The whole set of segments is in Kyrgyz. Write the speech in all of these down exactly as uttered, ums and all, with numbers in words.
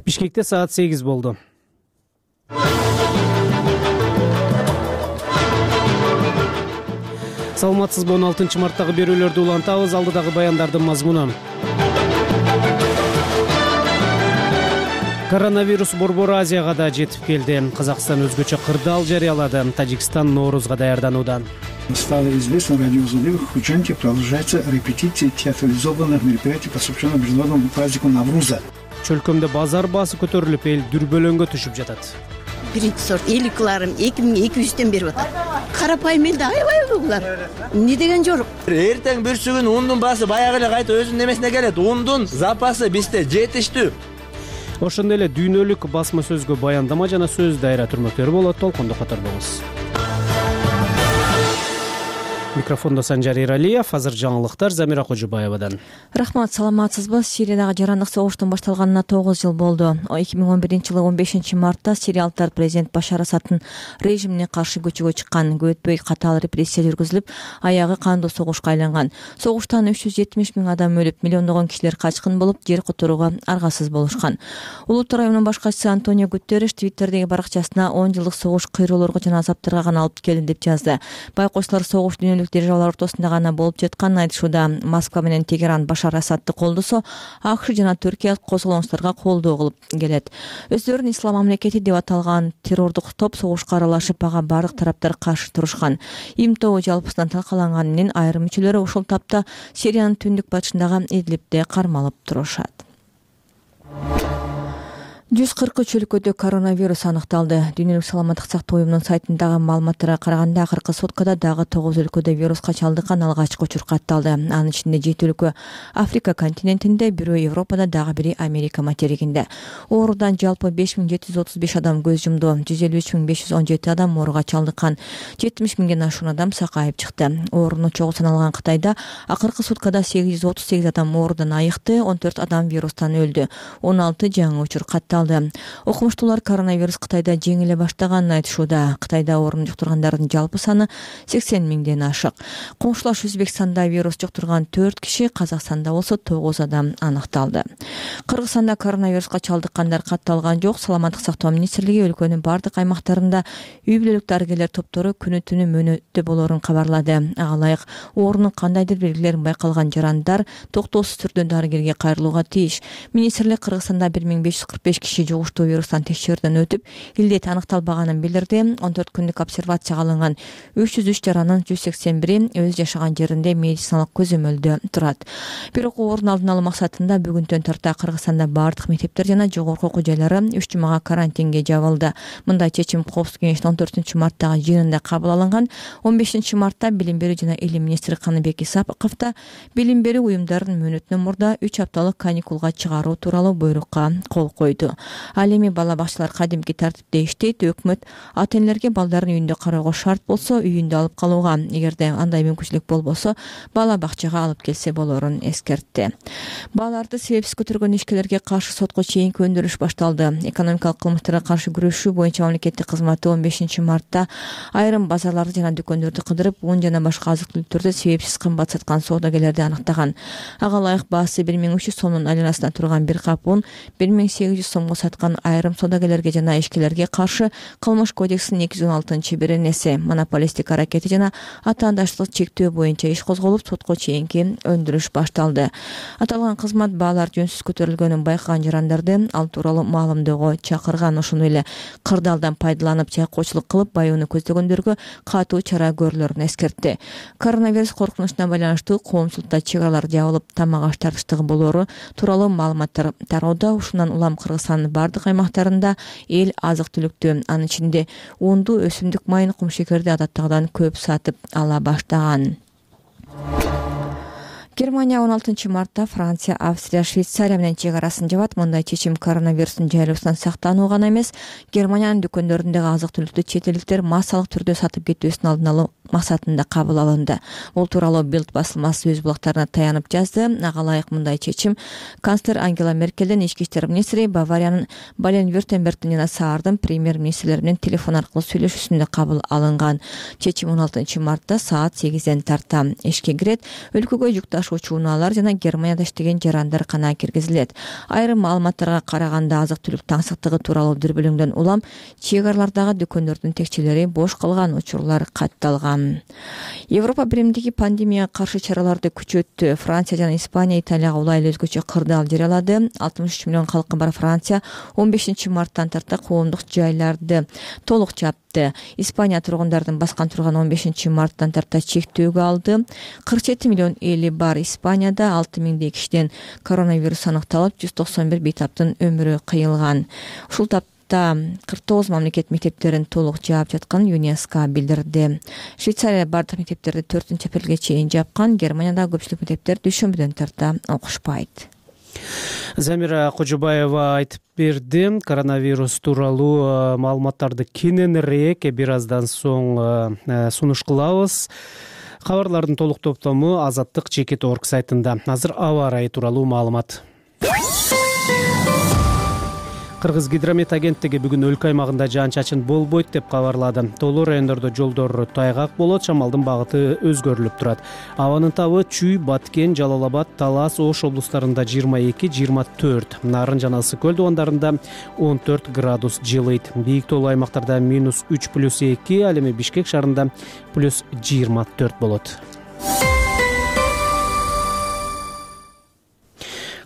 Бишкекте саат сегиз болду. Саламатсызбы, он алтынчы марттагы берүүлөрдү улантабыз. Алдыдагы баяндардын мазмуну. Коронавирус Борбор Азияга да жетип келди. Казакстан өзгөчө кырдаал жарыялады. Тажикстан Ноорузга даярданууда. Стало известно радиоузловых участников продолжается репетиция театрализованных мероприятий, посвященных международному празднику Навруза. Чөлкөмдө базар баасы көтөрүлүп, эл дүрбөлөңгө түшүп жатат. Биринчи сорт элүү килограмм эки миң эки жүздөн берип атат. Карапайым элде аябай булар. Эмне деген жорук? Эртең бүрсүгүн ундун баасы баягы эле кайта өзүнүн немесине келет. Ундун запасы бизде жетиштүү. Ошондой эле дүйнөлүк басма сөзгө баяндама жана сөз дайра түрмөктөрү болот. Толкондо катар болуңуз. Микрофондо Санжар Иралиев. Азыр жаңылыктар Замира Кожубаевадан. Рахмат, саламатсызбы? Сириядагы жарандык согуштун башталганына тогуз жыл болду. эки миң он биринчи жылы он бешинчи мартта сириялыктар президент Башар Асадтын режимине каршы көчөгө чыккан. Көп өтпөй катаал репрессия жүргүзүлүп, аягы кандуу согушка айланган. Согуштан үч жүз жетимиш миң адам өлүп, миллиондогон кишилер качкын болуп, жер которууга аргасыз болушкан. Улуттар уюмунун башкачысы Антонио Гутерриш Твиттердеги баракчасына он жылдык согуш кыйроолорго жана азаптарга гана алып келди деп жазды. Байкочлор согуш дүйнөлүк державалар ортосунда гана болуп жатканын айтышууда. Москва менен Тегеран Башар Асадты колдосо, АКШ жана Түркия козголоңчуларга колдоо кылып келет. Өздөрүн ислам мамлекети деп аталган террордук топ согушка аралашып, ага бардык тараптар каршы турушкан. Им тобу жалпысынан талкаланганы менен айрым мүчөлөрү ушул тапта Сириянын түндүк батышындагы Идлибте кармалып турушат. жүз кырк үч өлкөдө коронавирус аныкталды. Дүйнөлүк саламаттык сактоо уюмунун сайтындагы маалыматтарга караганда, акыркы суткада дагы тогуз өлкөдө вируска чалдыккан алгачкы учур катталды. Анын ичинде жети өлкө Африка континентинде, бирөө Европада, дагы бири Америка материгинде. Оорудан жалпы беш миң жети жүз отуз беш адам көз жумду. жүз элүү үч миң беш жүз он жети адам ооруга чалдыккан. жетимиш миңден ашуун адам сакайып чыкты. Оорунун чогуу саналган Кытайда акыркы суткада сегиз жүз отуз сегиз адам оорудан айыкты, он төрт адам вирустан өлдү. он алты жаңы учур катталды. Окумуштуулар коронавирус Кытайда жеңиле баштаганын айтышууда. Кытайда оорун жуктургандардын жалпы саны сексен миңден ашык. Коңшулаш Өзбекстанда вирус жуктурган төрт киши, Казакстанда болсо тогуз адам аныкталды. Кыргызстанда коронавируска чалдыккандар катталган жок. Саламаттык сактоо министрлиги өлкөнүн бардык аймактарында үй бүлөлүк дарыгерлер топтору күнү түнү мөөнөттө болоорун кабарлады. Ага ылайык оорунун кандайдыр белгилери байкалган жарандар токтоосуз түрдө дарыгерге кайрылууга тийиш. Министрлик Кыргызстанда бир миң беш жүз кырк беш киши жугуштуу вирустан текшерүүдөн өтүп, илдет аныкталбаганын билдирди. он төрт күндүк обсервацияга алынган үч жүз үч жаранын жүз сексен бири өз жашаган жеринде медициналык көзөмөлдө турат. Бирок оорунун алдын алуу максатында бүгүнтөн тарта Кыргызстанда бардык мектептер жана жогорку окуу жайлары үч жумага карантинге жабылды. Мындай чечим Коопсуздук кеңешинин он төртүнчү марттагы жыйынында кабыл алынган. он бешинчи мартта билим берүү жана илим министри Каныбек Исаковду билим берүү уюмдарын мөөнөтүнөн мурда үч апталык каникулга чыгаруу тууралуу буйрукка кол койду. Ал эми бала бакчалар кадимки тартипте иштейт. Өкмөт ата-энелерге балдарын үйүндө кароого шарт болсо, үйүндө алып калууга, эгерде андай мүмкүнчүлүк болбосо, бала бакчага алып келсе болорун эскертти. Балаларды себепсиз көтөргөн ишкерлерге каршы сотко чейинки өндүрүш башталды. Экономикалык кылмыштарга каршы күрөшүү боюнча мамлекеттик кызматы он бешинчи мартта айрым базарларды жана дүкөндөрдү кыдырып, un жана башка азык-түлүктөрдү себепсиз кымбат саткан соодагерлерди аныктаган. Ага ылайык баасы бир миң үч жүз сомдун айланасында турган бир кап un бир миң сегиз жүз сомго саткан айрым соодагерлерге жана ишкерлерге каршы Кылмыш кодексинин эки жүз он алтынчы беренеси монополисттик аракети жана атаандаштыкты чектөө боюнча иш козголуп, сотко чейинки өндүрүш башталды. Аталган кызмат баалар жөнсүз көтөрүлгөнүн байкаган жарандарды ал тууралуу маалымдөөгө чакырган. Ошондой эле кырдаалдан пайдаланып, чайкоочулук кылып баюуну көздөгөндөргө катуу чара көрүлөрүн эскертти. Коронавирус коркунучуна байланыштуу коомчулукта чек аралар жабылып, тамак аш тартыштыгы болоору тууралуу маалыматтар тароодо. Ушундан улам Кыргызстандын бардык аймактарында эл азык-түлүктү, анын ичинде унду, өсүмдүк майын, кумшекерди адаттагыдан көп сатып ала баштаган. Германия он алтынчы мартта Франция, Австрия, Швейцария менен чек арасын жабат. Мындай чечим коронавирустун жайылуусунан сактануу гана эмес, Германиянын дүкөндөрүндөгү азык-түлүктү чет элдиктер массалык түрдө сатып кетүүсүн алдын алуу максатында кабыл алынды. Бул тууралуу Билд басылмасы өз булактарына таянып жазды. Ага ылайык мындай чечим канцлер Ангела Меркелдин, ички иштер министри Бавариянын Бален-Вюртембергдин жана Саардын премьер-министрлери менен телефон аркылуу сүйлөшүүсүндө кабыл алынган. Чечим он алтынчы мартта саат сегизден тарта ишке кирет. Өлкөгө жүк ташуучу унаалар жана Германияда иштеген жарандар кана киргизилет. Айрым маалыматтарга караганда азык-түлүк таңсыктыгы тууралуу дүрбөлөңдөн улам чек аралардагы дүкөндөрдүн текчелери бош калган учурлар катталган. Европа биримдиги пандемияга каршы чараларды күчөттү. Франция жана Испания Италияга улайлуу өзгөчө кырдаал жарыялады. алтымыш үч миллион калкы бар Франция он бешинчи марттан тарта коомдук жайларды толук жапты. Испания тургундардын баскан турган он бешинчи марттан тарта чектөөгө алды. кырк жети миллион эли бар Испанияда алты миңдей кишиден коронавирус аныкталып, жүз токсон бир бейтаптын өмүрү кыйылган. Ушул тапта кырк тогуз мамлекет мектептерин толук жаап жатканын ЮНЕСКО билдирди. Швейцария бардык мектептерди төртүнчү апрелге чейин жапкан. Германияда көпчүлүк мектептер дүйшөмбүдөн тарта окушпайт. Замира Кожобаева айтып берди. Коронавирус тууралуу маалыматтарды кененирээк бир аздан соң сунуш кылабыз. Кабарлардын толук топтому Азаттык Чекит орг сайтында. Азыр аба ырайы тууралуу маалымат. Кыргыз гидромет агенттиги бүгүн өлкө аймагында жаан-чачын болбойт деп кабарлады. Тоолуу райондордо жолдор тайгак болот, шамалдын багыты өзгөрүлүп турат. Абанын табы Чүй, Баткен, Жалал Абад, Талас, Ош облустарында жыйырма эки жыйырма төрт, Нарын жана Ысык көл дубандарында он төрт градус жылыйт. Бийик тоолуу аймактарда минус үч плюс эки, ал эми Бишкек шаарында плюс жыйырма төрт болот.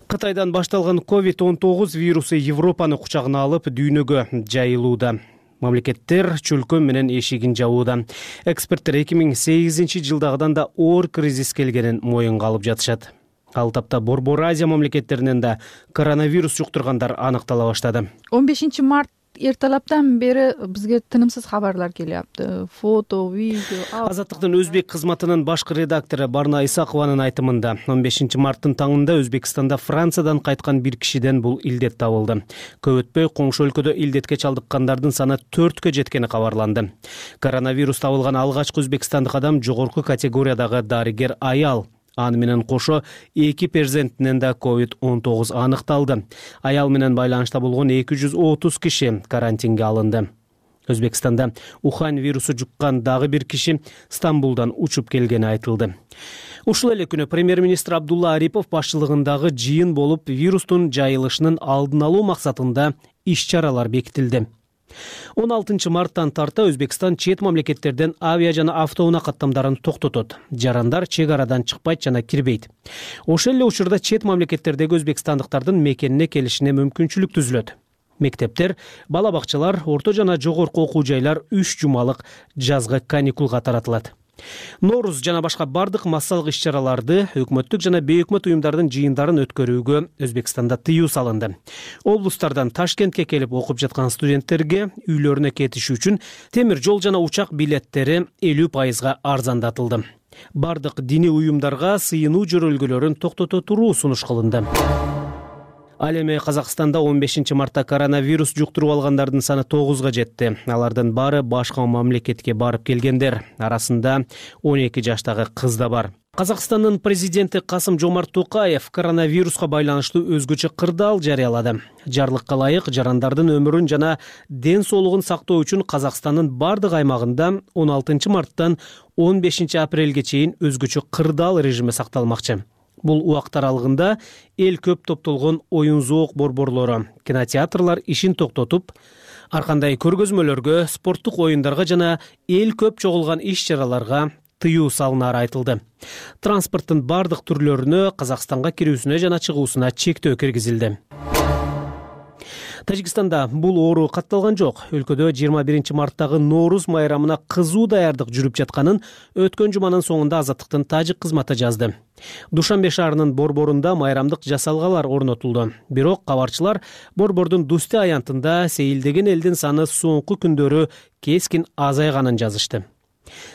Кытайдан башталган ковид он тогуз вирусу Европаны кучагына алып, дүйнөгө жайылууда. Мамлекеттер чөлкө менен эшигин жабууда. Эксперттер эки миң сегизинчи жылдагыдан да оор кризис келгенин моюнга алып жатышат. Ал тапта Борбор Азия мамлекеттеринен да коронавирус жуктургандар аныктала баштады. он бешинчи март эртелептен бери бизге тынымсыз кабарлар келиапты. Фото, видео. Азаттыктын өзбек кызматынын башкы редактору Барна Исакованын айтымында он бешинчи марттын таңында Өзбекстанда Франциядан кайткан бир кишиден бул илдет табылды. Көп өтпөй коңшу өлкөдө илдетке чалдыккандардын саны төрткө жеткени кабарланды. Коронавирус табылган алгачкы өзбекстандык адам жогорку категориядагы дарыгер аял. Аны менен кошо эки перзентинен да ковид он тогуз аныкталды. Аял менен байланышта болгон эки жүз отуз киши карантинге алынды. Өзбекстанда Ухань вирусу жуккан дагы бир киши Стамбулдан учуп келгени айтылды. Ушул эле күнү премьер-министр Абдулла Арипов башчылыгындагы жыйын болуп, вирустун жайылышынын алдын алуу максатында иш-чаралар бекитилди. он алтынчы марттан тарта Өзбекстан чет мамлекеттерден авиа жана автоунаа каттамдарын токтотот. Жарандар чек арадан чыкпайт жана кирбейт. Ошол эле учурда чет мамлекеттердеги өзбекстандыктардын мекенине келишине мүмкүнчүлүк түзүлөт. Мектептер, бала бакчалар, орто жана жогорку окуу жайлар үч жумалык жазгы каникулга таратылат. Норуз жана башка бардык массалык иш-чараларды, өкмөттүк жана бейөкмөт уюмдардын жыйындарын өткөрүүгө Өзбекстанда тыюу салынды. Облустардан Ташкентке келип окуп жаткан студенттерге үйлөрүнө кетиши үчүн темир жол жана учак билеттери элүү пайызга арзандатылды. Бардык диний уюмдарга сыйынуу жөрөлгөлөрүн токтото туруу сунуш кылынды. Ал эми Казакстанда он бешинчи мартта коронавирус жуктуруп алгандардын саны тогузга жетти. Алардын баары башка мамлекетке барып келгендер. Арасында он эки жаштагы кыз да бар. Казакстандын президенти Касым Жомарт Токаев коронавируска байланыштуу өзгөчө кырдаал жарыялады. Жарлыкка ылайык жарандардын өмүрүн жана ден соолугун сактоо үчүн Казакстандын бардык аймагында он алтынчы марттан он бешинчи апрелге чейин өзгөчө кырдаал режими сакталмакчы. Бул убакыт аралыгында эл көп топтолгон оюн зоок борборлору, кинотеатрлар ишин токтотуп, ар кандай көргөзмөлөргө, спорттук оюндарга жана эл көп чогулган иш-чараларга тыюу салынары айтылды. Транспорттун бардык түрлөрүнө Казакстанга кирүүсүнө жана чыгуусуна чектөө киргизилди. Тажикстанда бул оору катталган жок. Өлкөдө жыйырма биринчи марттагы Норуз майрамына кызуу даярдык жүрүп жатканын өткөн жуманын соңунда Азаттыктын тажик кызматы жазды. Душанбе шаарынын борборунда майрамдык жасалгалар орнотулду. Бирок кабарчылар борбордун Дусте аянтында сейилдеген элдин саны соңку күндөрү кескин азайганын жазышты.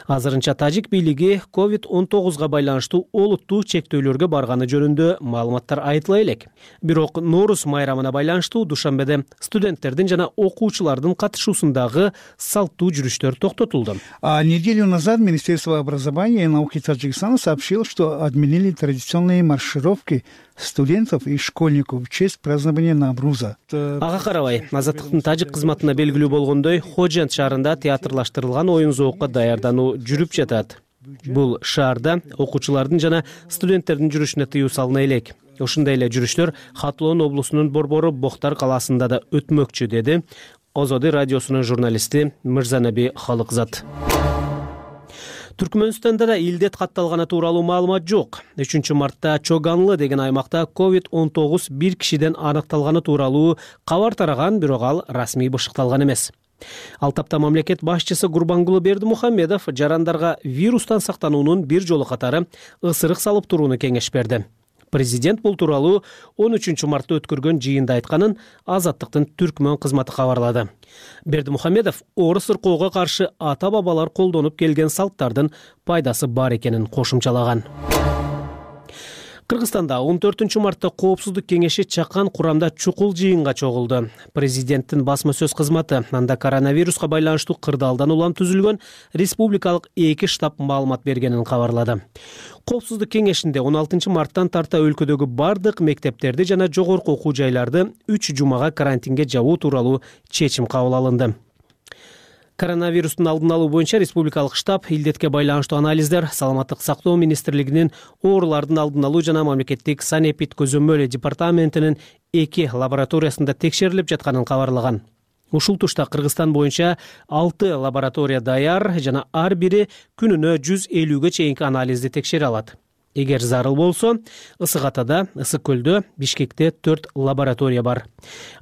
Азырынча тажик бийлиги ковид он тогузга байланыштуу олуттуу чектөөлөргө барганы жөнүндө маалыматтар айтыла элек. Бирок Норуз майрамына байланыштуу Душанбеде студенттердин жана окуучулардын катышуусундагы салттуу жүрүштөр токтотулду. А неделю назад Министерство образования и науки Таджикистана сообщило, что отменили традиционные маршировки студентов и школьников в честь празднования Навруза. Ага карабай, Азаттыктын тажик кызматына белгилүү болгондой, Ходжент шаарында театрлаштырылган оюн зоокко даярдануу жүрүп жатат. Бул шаарда окуучулардын жана студенттердин жүрүшүнө тыюу салына элек. Ушундай эле жүрүштөр Хатлоон облусунун борбору Боктар калаасында да өтмөкчү, деди Озоды радиосунун журналисти Мырзанаби Халыкзат. Түркмөнстанда да илдет катталганы тууралуу маалымат жок. үчүнчү мартта Чоганлы деген аймакта ковид он тогуз бир кишиден аныкталганы тууралуу кабар тараган, бирок ал расмий бышыкталган эмес. Ал тапта мамлекет башчысы Гурбангулы Бердимухамедов жарандарга вирустан сактануунун бир жолу катары ысырык салып турууну кеңеш берди. Президент бул тууралуу он үчүнчү мартта өткөргөн жыйында айтканын Азаттыктын түркмөн кызматы кабарлады. Бердимухамедов орус ыркоого каршы ата-бабалар колдонуп келген салттардын пайдасы бар экенин кошумчалаган. Кыргызстанда он төртүнчү мартта Коопсуздук кеңеши чакан курамда чукул жыйынга чогулду. Президенттин басма сөз кызматы анда коронавируска байланыштуу кырдаалдан улам түзүлгөн республикалык эки штаб маалымат бергенин кабарлады. Коопсуздук кеңешинде он алтынчы марттан тарта өлкөдөгү бардык мектептерди жана жогорку окуу жайларды үч жумага карантинге жабуу тууралуу чечим кабыл алынды. Коронавирустун алдын алуу боюнча республикалык штаб илдетке байланыштуу анализдер Саламаттык сактоо министрлигинин оорулардын алдын алуу жана мамлекеттик санэпид көзөмөл департаментинин эки лабораториясында текшерилип жатканын кабарлаган. Ушул тушта Кыргызстан боюнча алты лаборатория даяр жана ар бири күнүнө жүз элүүгө чейинки анализди текшере алат. Эгер зарыл болсо, Ысык Атада, Ысык Көлдө, Бишкекте төрт лаборатория бар.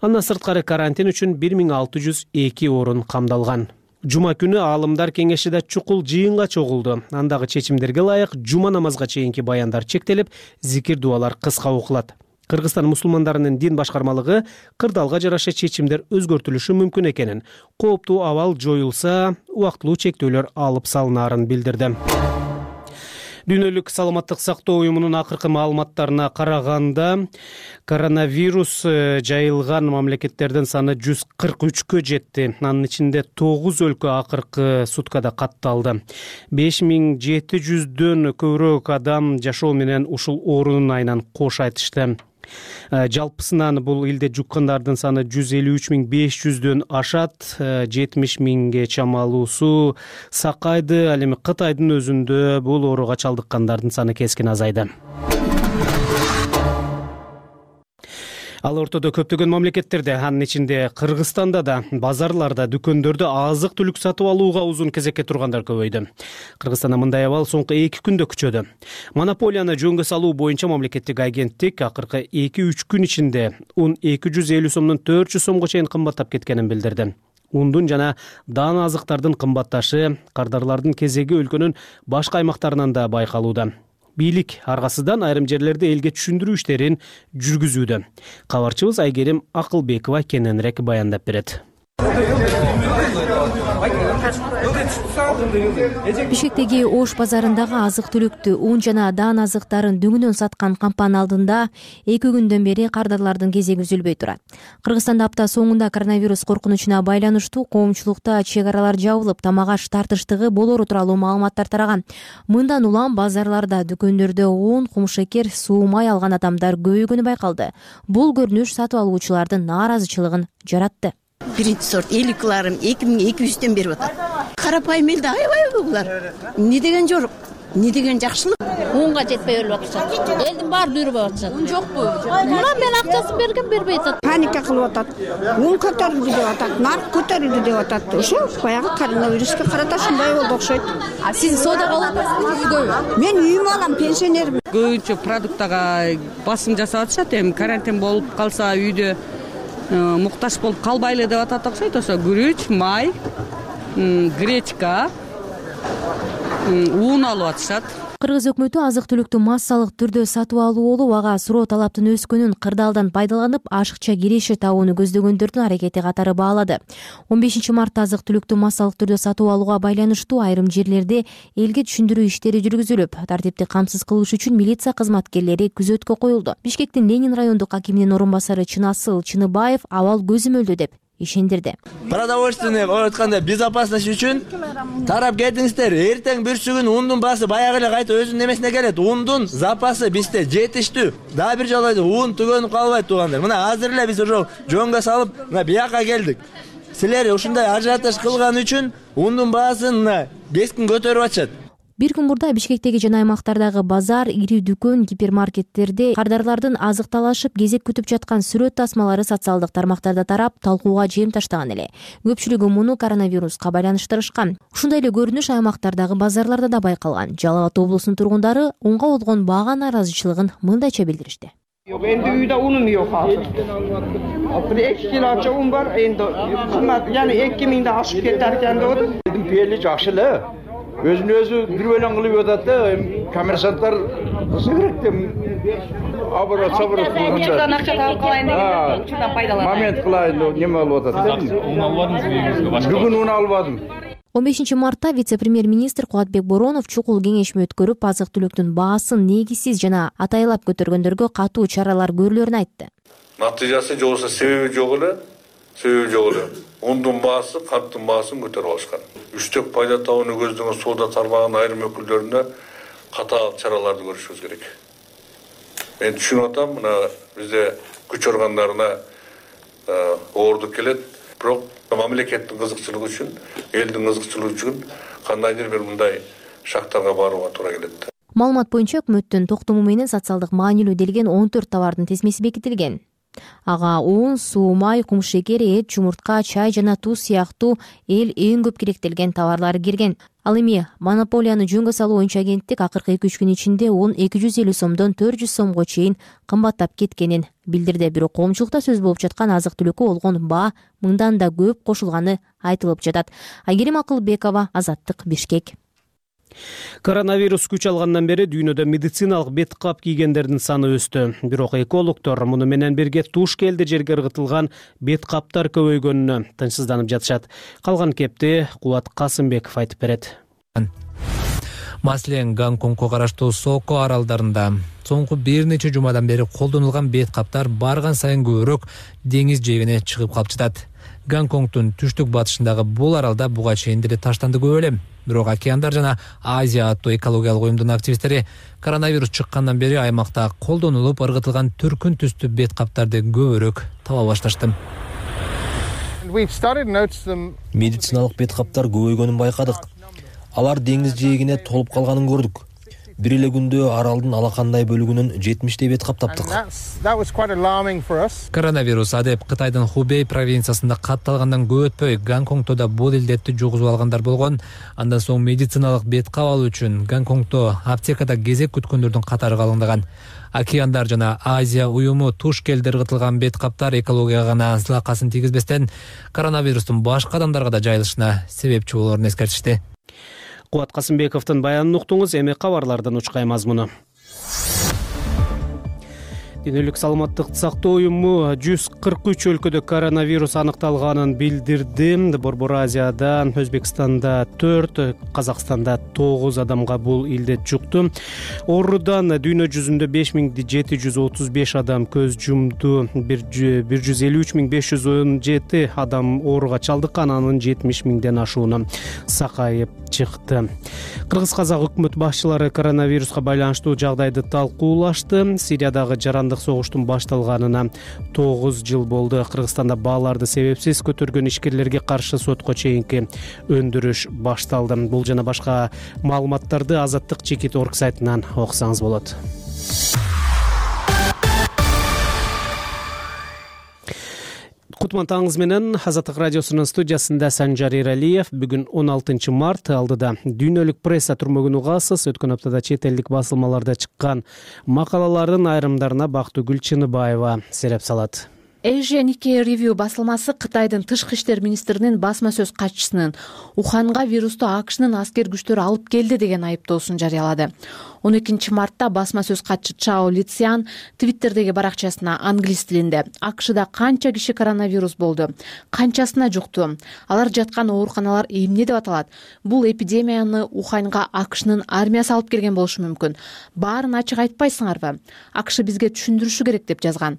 Андан сырткары карантин үчүн бир миң алты жүз эки орун камдалган. Жума күнү аалымдар кеңеши да чукул жыйынга чогулду. Андагы чечимдерге ылайык жума намазга чейинки баяндар чектелип, зикир дуалар кыска окулат. Кыргызстан мусулмандарынын дин башкармалыгы кырдаалга жараша чечимдер өзгөртүлүшү мүмкүн экенин, кооптуу абал жоюлса, убактылуу чектөөлөр алып салынаарын билдирди. Дүйнөлүк саламаттык сактоо уюмунун акыркы маалыматтарына караганда, коронавирус жайылган мамлекеттердин саны жүз кырк үчкө жетти. Анын ичинде тогуз өлкө акыркы суткада катталды. беш миң жети жүздөн көбүрөөк адам жашоо менен ушул оорунун айынан кош айтышты. Жалпысынан бул илде жуккандардын саны жүз элүү үч миң беш жүздөн ашат, жетимиш миңге чамалуусу сакайды. Ал эми Кытайдын өзүндө бул ооруга чалдыккандардын саны кескин азайды. Ал ортодо көптөгөн мамлекеттерде, анын ичинде Кыргызстанда да базарларда, дүкөндөрдө азык түлүк сатып алууга узун кезекке тургандар көбөйдү. Кыргызстанда мындай абал соңку эки күндө күчөдү. Монополияны жөнгө салуу боюнча мамлекеттик агенттик акыркы эки үч күн ичинде ун эки жүз элүү сомдон төрт жүз сомго чейин кымбаттап кеткенин билдирди. Ундун жана даан азыктардын кымбатташы кардарлардын кезеги өлкөнүн башка аймактарынан да байкалууда. Бийлик аргасыдан айрым жерлерде элге түшүндүрүү иштерин жүргүзүүдө. Кабарчыбыз Айгерим Акылбекова кененирээк баяндап берет. Бишкектеги Ош базарындагы азык-түлүктү, ун жана даан азыктарын дөңүнөн саткан кампанын алдында эки күндөн бери кардарлардын кезеги үзүлбөй турат. Кыргызстанда апта соңунда коронавирус коркунучуна байланыштуу коомчулукта чек аралар жабылып, тамак-аш тартыштыгы болору тууралуу маалыматтар тараган. Мындан улам базарларда, дүкөндөрдө он кумшекер, суу май алган адамдар көбөйгөнү байкалды. Бул көрүнүш сатып алуучулардын нааразычылыгын жаратты. Биринчи сорт эликларым эки миң эки жүздөн берип атат. Карапайым элде аябайбы булар? Эмне деген жорук? Эмне деген жакшылык? Унга жетпей өлүп атышат. Элдин баары жүрүп атышат. Ун жокпу? Мына мен акчасын берген, бербей атат. Паника кылып атат. Ун көтөрүлдү деп атат, нарк көтөрүлдү деп атат. Ошо баягы коронавируска карата ушундай болду окшойт. А сиз соодага алып атасызбы үйгө? Мен үйүмө алам, пенсионермин. Көбүнчө продуктага басым жасап атышат. Эми карантин болуп калса үйдө муктаж болуп калбайлы деп атат окшойт. Ошо күрүч, май, гречка, ун алып атышат. Кыргыз өкмөтү азык-түлүктү массалык түрдө сатып алуу, ага суроо талаптын өскөнүн кырдаалдан пайдаланып, ашыкча киреше табууну көздөгөндөрдүн аракети катары баалады. он бешинчи мартта азык-түлүктү массалык түрдө сатып алууга байланыштуу айрым жерлерде элге түшүндүрүү иштери жүргүзүлүп, тартипти камсыз кылыш үчүн милиция кызматкерлери күзөткө коюлду. Бишкектин Ленин райондук акиминин орун басары Чынасыл Чыныбаев абал көзөмөлдө деп ишендирди. Продовольственный айтканда безопасность үчүн тарап кетиңиздер. Эртең бүрсүгүн ундун баасы баягы эле кайта өзүнүн немесине келет. Ундун запасы бизде жетиштүү. Дагы бир жолу ун түгөнүп калбайт туугандар. Мына азыр эле биз ошо жөнгө салып, мына бияка келдик. Силер ушундай ажиотаж кылган үчүн ундун баасын мына кескин көтөрүп атышат. Бир күн мурда Бишкектеги жана аймактардагы базар, ири дүкөн, гипермаркеттерде кардарлардын азык талашып кезек күтүп жаткан сүрөт тасмалары социалдык тармактарда тарап, талкууга жем таштаган эле. Көпчүлүгү муну коронавируска байланыштырышкан. Ушундай эле көрүнүш аймактардагы базарларда да байкалган. Жалал Абад облусунун тургундары унга болгон бага нааразычылыгын мындайча билдиришти. Yok, endi uyda unum yok hazır. Bir iki kilo aça un var, endi kıymat, yani iki mingde aşıp keterken de oldu. Dedim piyerli жақшылы. Өзүн өзү бир бөлөң кылып жатат да, коммерсанттар кызы керек деп. Абыра сабыра кылганда. Акча таап калайын деген учурдан пайдаланып. Момент кылайын, неме алып атат да. Un албадыңызбы үйүңүзгө башка? Бүгүн un албадым. он бешинчи мартта вице-премьер-министр Кубатбек Боронов чукул кеңешме өткөрүп, азык-түлүктүн баасын негизсиз жана атайлап көтөргөндөргө катуу чаралар көрүлөрүн айтты. Натыйжасы же болсо себеби жок эле, себеби жок эле. Ундун баасы, канттын баасын көтөрүп алышкан. Үчтөк пайда табууну көздөгөн соода тармагынын айрым өкүлдөрүнө катаал чараларды көрүшүбүз керек. Мен түшүнүп атам, мына бизде күч органдарына оордук келет, бирок мамлекеттин кызыкчылыгы үчүн, элдин кызыкчылыгы үчүн кандайдыр бир мындай шактарга барууга туура келет. Маалымат боюнча өкмөттүн токтому менен социалдык маанилүү делген он төрт товардын тизмеси бекитилген. Ага un, суу, май, кум шекер, эт, жумуртка, чай жана туз сыяктуу эл эң көп керектелген товарлар кирген. Ал эми монополияны жөнгө салуу боюнча агенттик акыркы эки үч күн ичинде un эки жүз элүү сомдон төрт жүз сомго чейин кымбаттап кеткенин билдирди. Бирок коомчулукта сөз болуп жаткан азык-түлүккө болгон баа мыңдан да көп кошулганы айтылып жатат. Айгерим Акылбекова, Азаттык, Бишкек. Коронавирус күч алгандан бери дүйнөдө медициналык бет кап кийгендердин саны өстү. Бирок экологдор муну менен бирге туш келди жерге ыргытылган бет каптар көбөйгөнүнө тынчсызданып жатышат. Калган кепти Кубат Касымбеков айтып берет. Маселен, Гонконгко караштуу Соко аралдарында соңку бир нече жумадан бери колдонулган бет каптар барган сайын көбүрөөк деңиз жээгине чыгып калып жатат. Гонконгдун түштүк батышындагы бул аралда буга чейин деле таштанды көп эле. Бирок океандар жана Азия аттуу экологиялык уюмдун активисттери коронавирус чыккандан бери аймакта колдонулуп ыргытылган түркүн түстүү бет каптарды көбүрөөк таба башташты. Медициналык бет каптар көбөйгөнүн байкадык. Алар деңиз жээгине толуп калганын көрдүк. Бир эле күндө аралдын алакандай бөлүгүнөн жетимиштей бет кап таптык. Коронавирус адеп Кытайдын Хубей провинциясында катталгандан көп өтпөй Гонконгдо да бул илдетти жугузуп алгандар болгон. Андан соң медициналык бет кап алуу үчүн Гонконгдо аптекада кезек күткөндөрдүн катары калыңдаган. Океандар жана Азия уюму туш келди ыргытылган бет каптар экологияга гана зылакасын тийгизбестен коронавирустун башка адамдарга да жайылышына себепчи болоорун эскертишти. Кубат Касымбековдун баянын уктуңуз, эми кабарлардан учкай мазмуну. Дүйнөлүк саламаттыкты сактоо уюму жүз кырк үч өлкөдө коронавирус аныкталганын билдирди. Борбор Азияда, Өзбекстанда төрт, Казакстанда тогуз адамга бул илдет жукту. Оорудан дүйнө жүзүндө беш миң жети жүз отуз беш адам көз жумду. бир жүз элүү үч миң беш жүз он жети адам ооруга чалдыккан, анын жетимиш миңден ашууну сакайып чыкты. Кыргыз-казак өкмөт башчылары коронавируска байланыштуу жагдайды талкуулашты. Сириядагы жарандык согуштун башталганына тогуз жыл болду. Кыргызстанда бааларды себепсиз көтөргөн ишкерлерге каршы сотко чейинки өндүрүш башталды. Бул жана башка маалыматтарды Азаттык чекит орг сайтынан окусаңыз болот. Кутман таңыңыз менен Азаттык радиосунун студиясында Санжар Эралиев. Бүгүн он алтынчы март, алдыда дүйнөлүк пресса турмөгүнү каасыз. Өткөн аптада чет элдик басылмаларда чыккан макалалардын айрымдарына Бактыгүл Чыныбаева сереп салат. Asia Nikkei Review басылмасы Кытайдын тышкы иштер министринин басма сөз катчысынын Уханга вирусту АКШнын аскер күчтөрү алып келди деген айыптоосун жарыялады. он экинчи мартта басма сөз катчы Чао Лициан Твиттердеги баракчасына англис тилинде АКШда канча киши коронавирус болду, канчасына жукту, алар жаткан ооруканалар эмне деп аталат, бул эпидемияны Уханга АКШнын армиясы алып келген болушу мүмкүн, баарын ачык айтпайсыңарбы, АКШ бизге түшүндүрүшү керек деп жазган.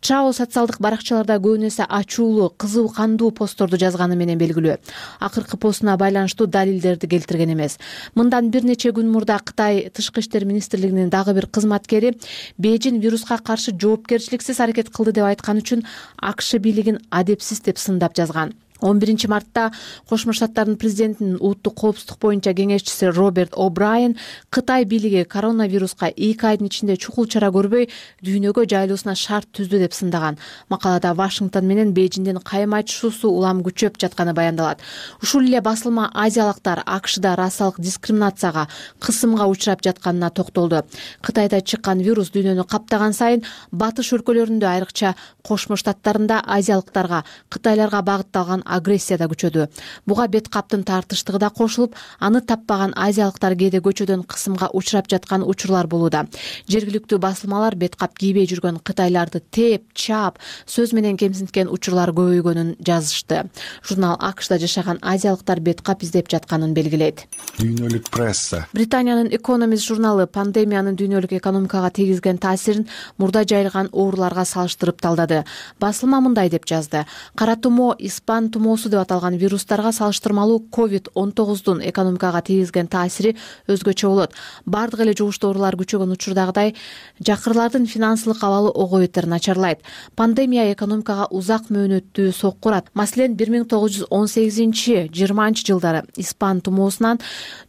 Чао социалдык баракчаларда көбүн эсе ачуулуу, кызуу кандуу постторду жазганы менен белгилүү. Акыркы постуна байланыштуу далилдерди келтирген эмес. Мындан бир нече күн мурда Кытай тышкы иштер министрлигинин дагы бир кызматкери Бейжин вируска каршы жоопкерчиликсиз аракет кылды деп айткан үчүн АКШ бийлигин адепсиз деп сындап жазган. он биринчи мартта Кошмо Штаттардын президентинин улуттук коопсуздук боюнча кеңешчиси Роберт О'Брайен Кытай бийлиги коронавируска эки айдын ичинде чукул чара көрбөй дүйнөгө жайылуусуна шарт түздү деп сындаган. Макалада Вашингтон менен Бейжиңдин кайым айтышуусу улам күчөп жатканы баяндалат. Ушул эле басылма азиялыктар АКШда расалык дискриминацияга, кысымга учурап жатканына токтолду. Кытайда чыккан вирус дүйнөнү каптаган сайын батыш өлкөлөрүндө, айрыкча Кошмо Штаттарында азиялыктарга, кытайларга багытталган агрессия да күчөдү. Буга бет каптын тартыштыгы да кошулуп, аны таппаган азиялыктар кээде көчөдөн кысымга учурап жаткан учурлар болууда. Жергиликтүү басылмалар бет кап кийбей жүргөн кытайларды теп, чаап, сөз менен кемсинткен учурлар көбөйгөнүн жазышты. Журнал АКШда жашаган азиялыктар бет кап издеп жатканын белгилейт. Дүйнөлүк пресса. Британиянын Economist журналы пандемиянын дүйнөлүк экономикага тийгизген таасирин мурда жайылган ооруларга салыштырып талдады. Басылма мындай деп жазды: кара тумо, испан тумоосу деп аталган вирустарга салыштырмалуу ковид он тогуздун экономикага тийгизген таасири өзгөчө болот. Бардык эле жугуштуу оорулар күчөгөн учурдагыдай жакырлардын финансылык абалы ого бетер начарлайт. Пандемия экономикага узак мөөнөттүү сокку урат. Маселен, бир миң тогуз жүз он сегизинчи жыйырманчы жылдары испан тумоосунан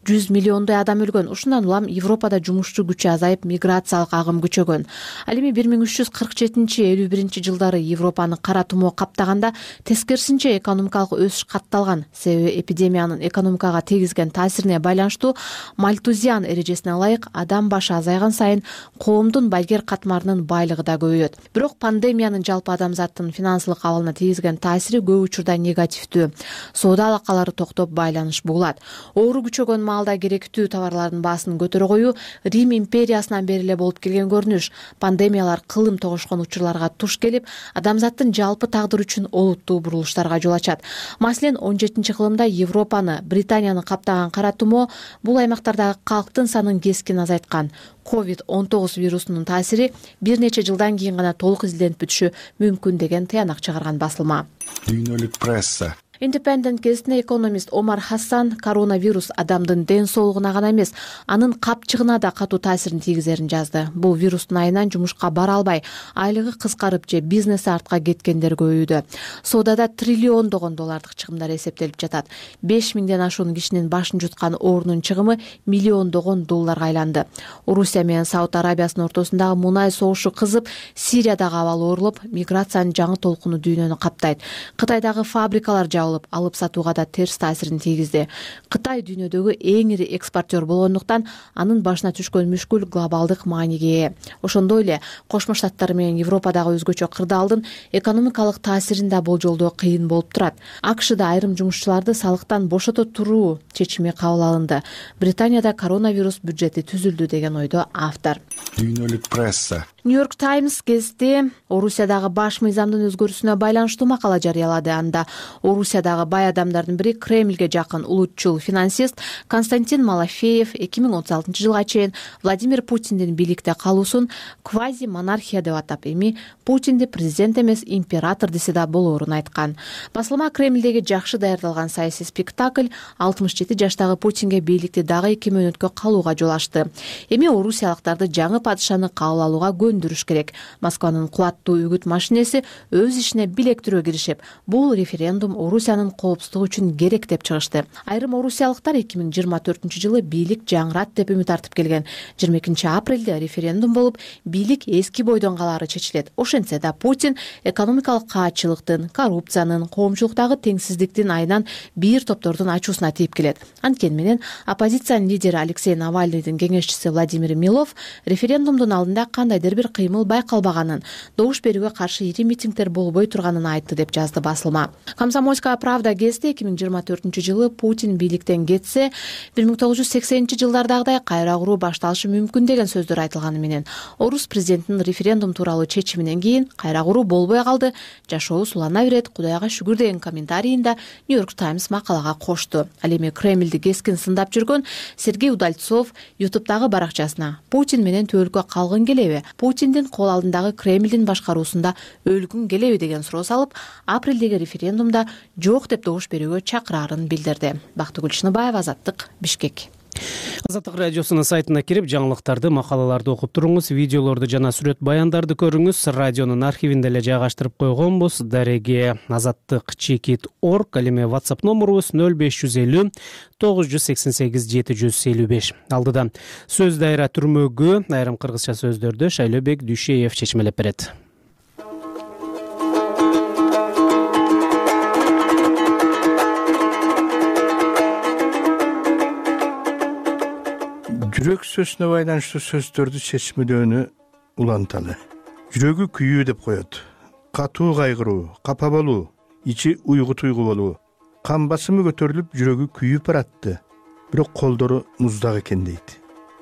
жүз миллиондой адам өлгөн. Ушундан улам Европада жумушчу күчү азайып, миграциялык агым күчөгөн. Ал эми бир миң үч жүз кырк жетинчи элүү биринчи жылдары Европаны кара тумоо каптаганда тескерисинче экономикалык өсүш катталган. Себеби эпидемиянын экономикага тийгизген таасирине байланыштуу Мальтузиан эрежесине ылайык адам башы азайган сайын коомдун байгер катмарынын байлыгы да көбөйөт. Бирок пандемиянын жалпы адамзаттын финансылык абалына тийгизген таасири көп учурда негативдүү. Соода алакалары токтоп, байланыш бугулат. Оору күчөгөн маалда керектүү товарлардын баасын көтөрө коюу Рим империясынан бери эле болуп келген көрүнүш. Пандемиялар кылым тогушкон учурларга туш келип, адамзаттын жалпы тагдыры үчүн олуттуу бурулуштарга жол ачат. Маселен, он жетинчи кылымда Европаны, Британияны каптаган кара тумо бул аймактардагы калктын санын кескин азайткан. ковид он тогуз вирусунун таасири бир нече жылдан кийин гана толук изилденип бүтүшү мүмкүн деген тыянак чыгарган басылма. Дүйнөлүк пресса. Independent гезитине экономист Омар Хасан коронавирус адамдын ден соолугуна гана эмес, анын капчыгына да катуу таасирин тийгизерин жазды. Бул вирустун айынан жумушка бара албай, айлыгы кыскарып же бизнеси артка кеткендер көбөйдү. Соодада триллиондогон доллардык чыгымдар эсептелип жатат. беш миңден ашуун кишинин башын жуткан оорунун чыгымы миллиондогон долларга айланды. Орусия менен Сауд Арабиясынын ортосундагы мунай согушу кызып, Сириядагы абал оорулуп, миграциянын жаңы толкуну дүйнөнү каптайт. Кытайдагы фабрикалар алып сатууга да терс таасирин тийгизди. Кытай дүйнөдөгү эң ири экспортер болгондуктан анын башына түшкөн мүшкүл глобалдык мааниге ээ. Ошондой эле Кошмо Штаттар менен Европадагы өзгөчө кырдаалдын экономикалык таасирин да болжолдоо кыйын болуп турат. АКШда айрым жумушчуларды салыктан бошото туруу чечими кабыл алынды. Британияда коронавирус бюджети түзүлдү деген ойдо автор. Дүйнөлүк пресса. Нью-Йорк Таймс гезити Орусиядагы баш мыйзамдын өзгөрүүсүнө байланыштуу макала жарыялады. Анда Орусиядагы бай адамдардын бири Кремльге жакын улутчул финансист Константин Малафеев эки миң отуз алтынчы жылга чейин Владимир Путиндин бийликте калуусун квази монархия деп атап, эми Путинди президент эмес император десе да болоорун айткан. Басылма Кремльдеги жакшы даярдалган саясий спектакль алтымыш жети жаштагы Путинге бийликти дагы эки мөөнөткө калууга жол ачты. Эми орусиялыктарды жаңы падышаны кабыл алууга көндүрүш керек. Москванын кубаттуу үгүт машинеси өз ишине билектирөө киришип, бул референдум Орусиянын коопсуздугу үчүн керек деп чыгышты. Айрым орусиялыктар эки миң жыйырма төртүнчү жылы бийлик жаңырат деп үмүт артып келген. жыйырма экинчи апрелде референдум болуп, бийлик эски бойдон калаары чечилет. Ошентсе да Путин экономикалык каатчылыктын, коррупциянын, коомчулуктагы теңсиздиктин айынан бир топтордун ачуусуна тийип келет. Анткени менен оппозициянын лидери Алексей Навальныйдын кеңешчиси Владимир Милов референдумдун алдында кандайдыр бир кыймыл байкалбаганын, добуш берүүгө каршы ири митингдер болбой турганын айтты деп жазды басылма. Комсомольская правда гезити эки миң жыйырма төртүнчү жылы Путин бийликтен кетсе, бир миң тогуз жүз сексенинчи жылдардагыдай кайра куруу башталышы мүмкүн деген сөздөр айтылганы менен, орус президентинин референдум тууралуу чечиминен кийин кайра куруу болбой калды, жашоо сулана берет, Кудайга шүгүр деген комментарийин да Нью-Йорк Таймс макалага кошту. Ал эми Кремльди кескин сындап жүргөн Сергей Удальцов ютубтагы баракчасына Путин менен төбөлккө калгың келеби, Путиндин кол алдындагы Кремльдин башкаруусунда өлгүң келеби деген суроо салып, апрелдеги референдумда жок деп добуш берүүгө чакыраарын билдирди. Бактыгүл Шыныбаева, Азаттык, Бишкек. Азаттык радиосунун сайтына кирип жаңылыктарды, макалаларды окуп туруңуз, видеолорду жана сүрөт баяндарды көрүңүз. Радионун архивинде эле жайгаштырып койгонбуз. Дареге азаттык чекит орг, ал эми WhatsApp номурубуз нөл беш жүз элүү тогуз жүз сексен сегиз жети жүз элүү беш. Алдыда сөз дайра түрмөгү айрым кыргызча сөздөрдү Шайлообек Дүйшеев чечмелеп берет. Жүрөк сөзүнө байланыштуу сөздөрдү чечмелөөнү уланталы. Жүрөгү күйүү деп коет. Катуу кайгыруу, капа болуу, ичи уйгу туйгу болуу. Кан басымы көтөрүлүп, жүрөгү күйүп баратты. Бирок колдору муздак экен дейт.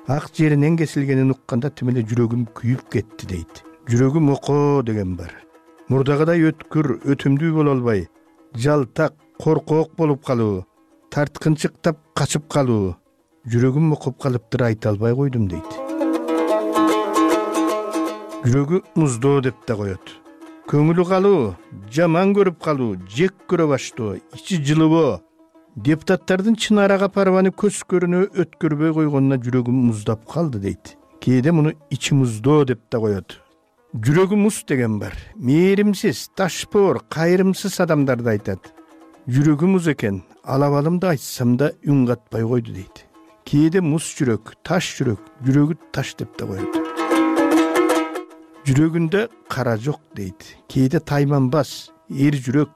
Ак жеринен кесилгенин укканда тим эле жүрөгүм күйүп кетти дейт. Жүрөгүм окоо деген бар. Мурдагыдай өткүр, өтүмдүү боло албай, жалтак, коркоок болуп калуу, тарткынчыктап качып калуу. Жүрөгүм окуп калыптыр, айта албай койдум дейт. Жүрөгү муздоо деп да коет. Көңүлү калуу, жаман көрүп калуу, жек көрө баштоо, ичи жылыбоо. Депутаттардын Чынара Капарованы көз көрүнө өткөрбөй койгонуна жүрөгүм муздап калды дейт. Кээде муну ичи муздоо деп да коет. Жүрөгү муз деген бар. Мээримсиз, ташпоор, кайрымсыз адамдарды айтат. Жүрөгү муз экен, алабалымды айтсам да үн катпай койду дейт. Кээде муз жүрөк, таш жүрөк, жүрөгү таш деп да коет. Жүрөгүндө кара жок дейт. Кээде тайманбас, эр жүрөк,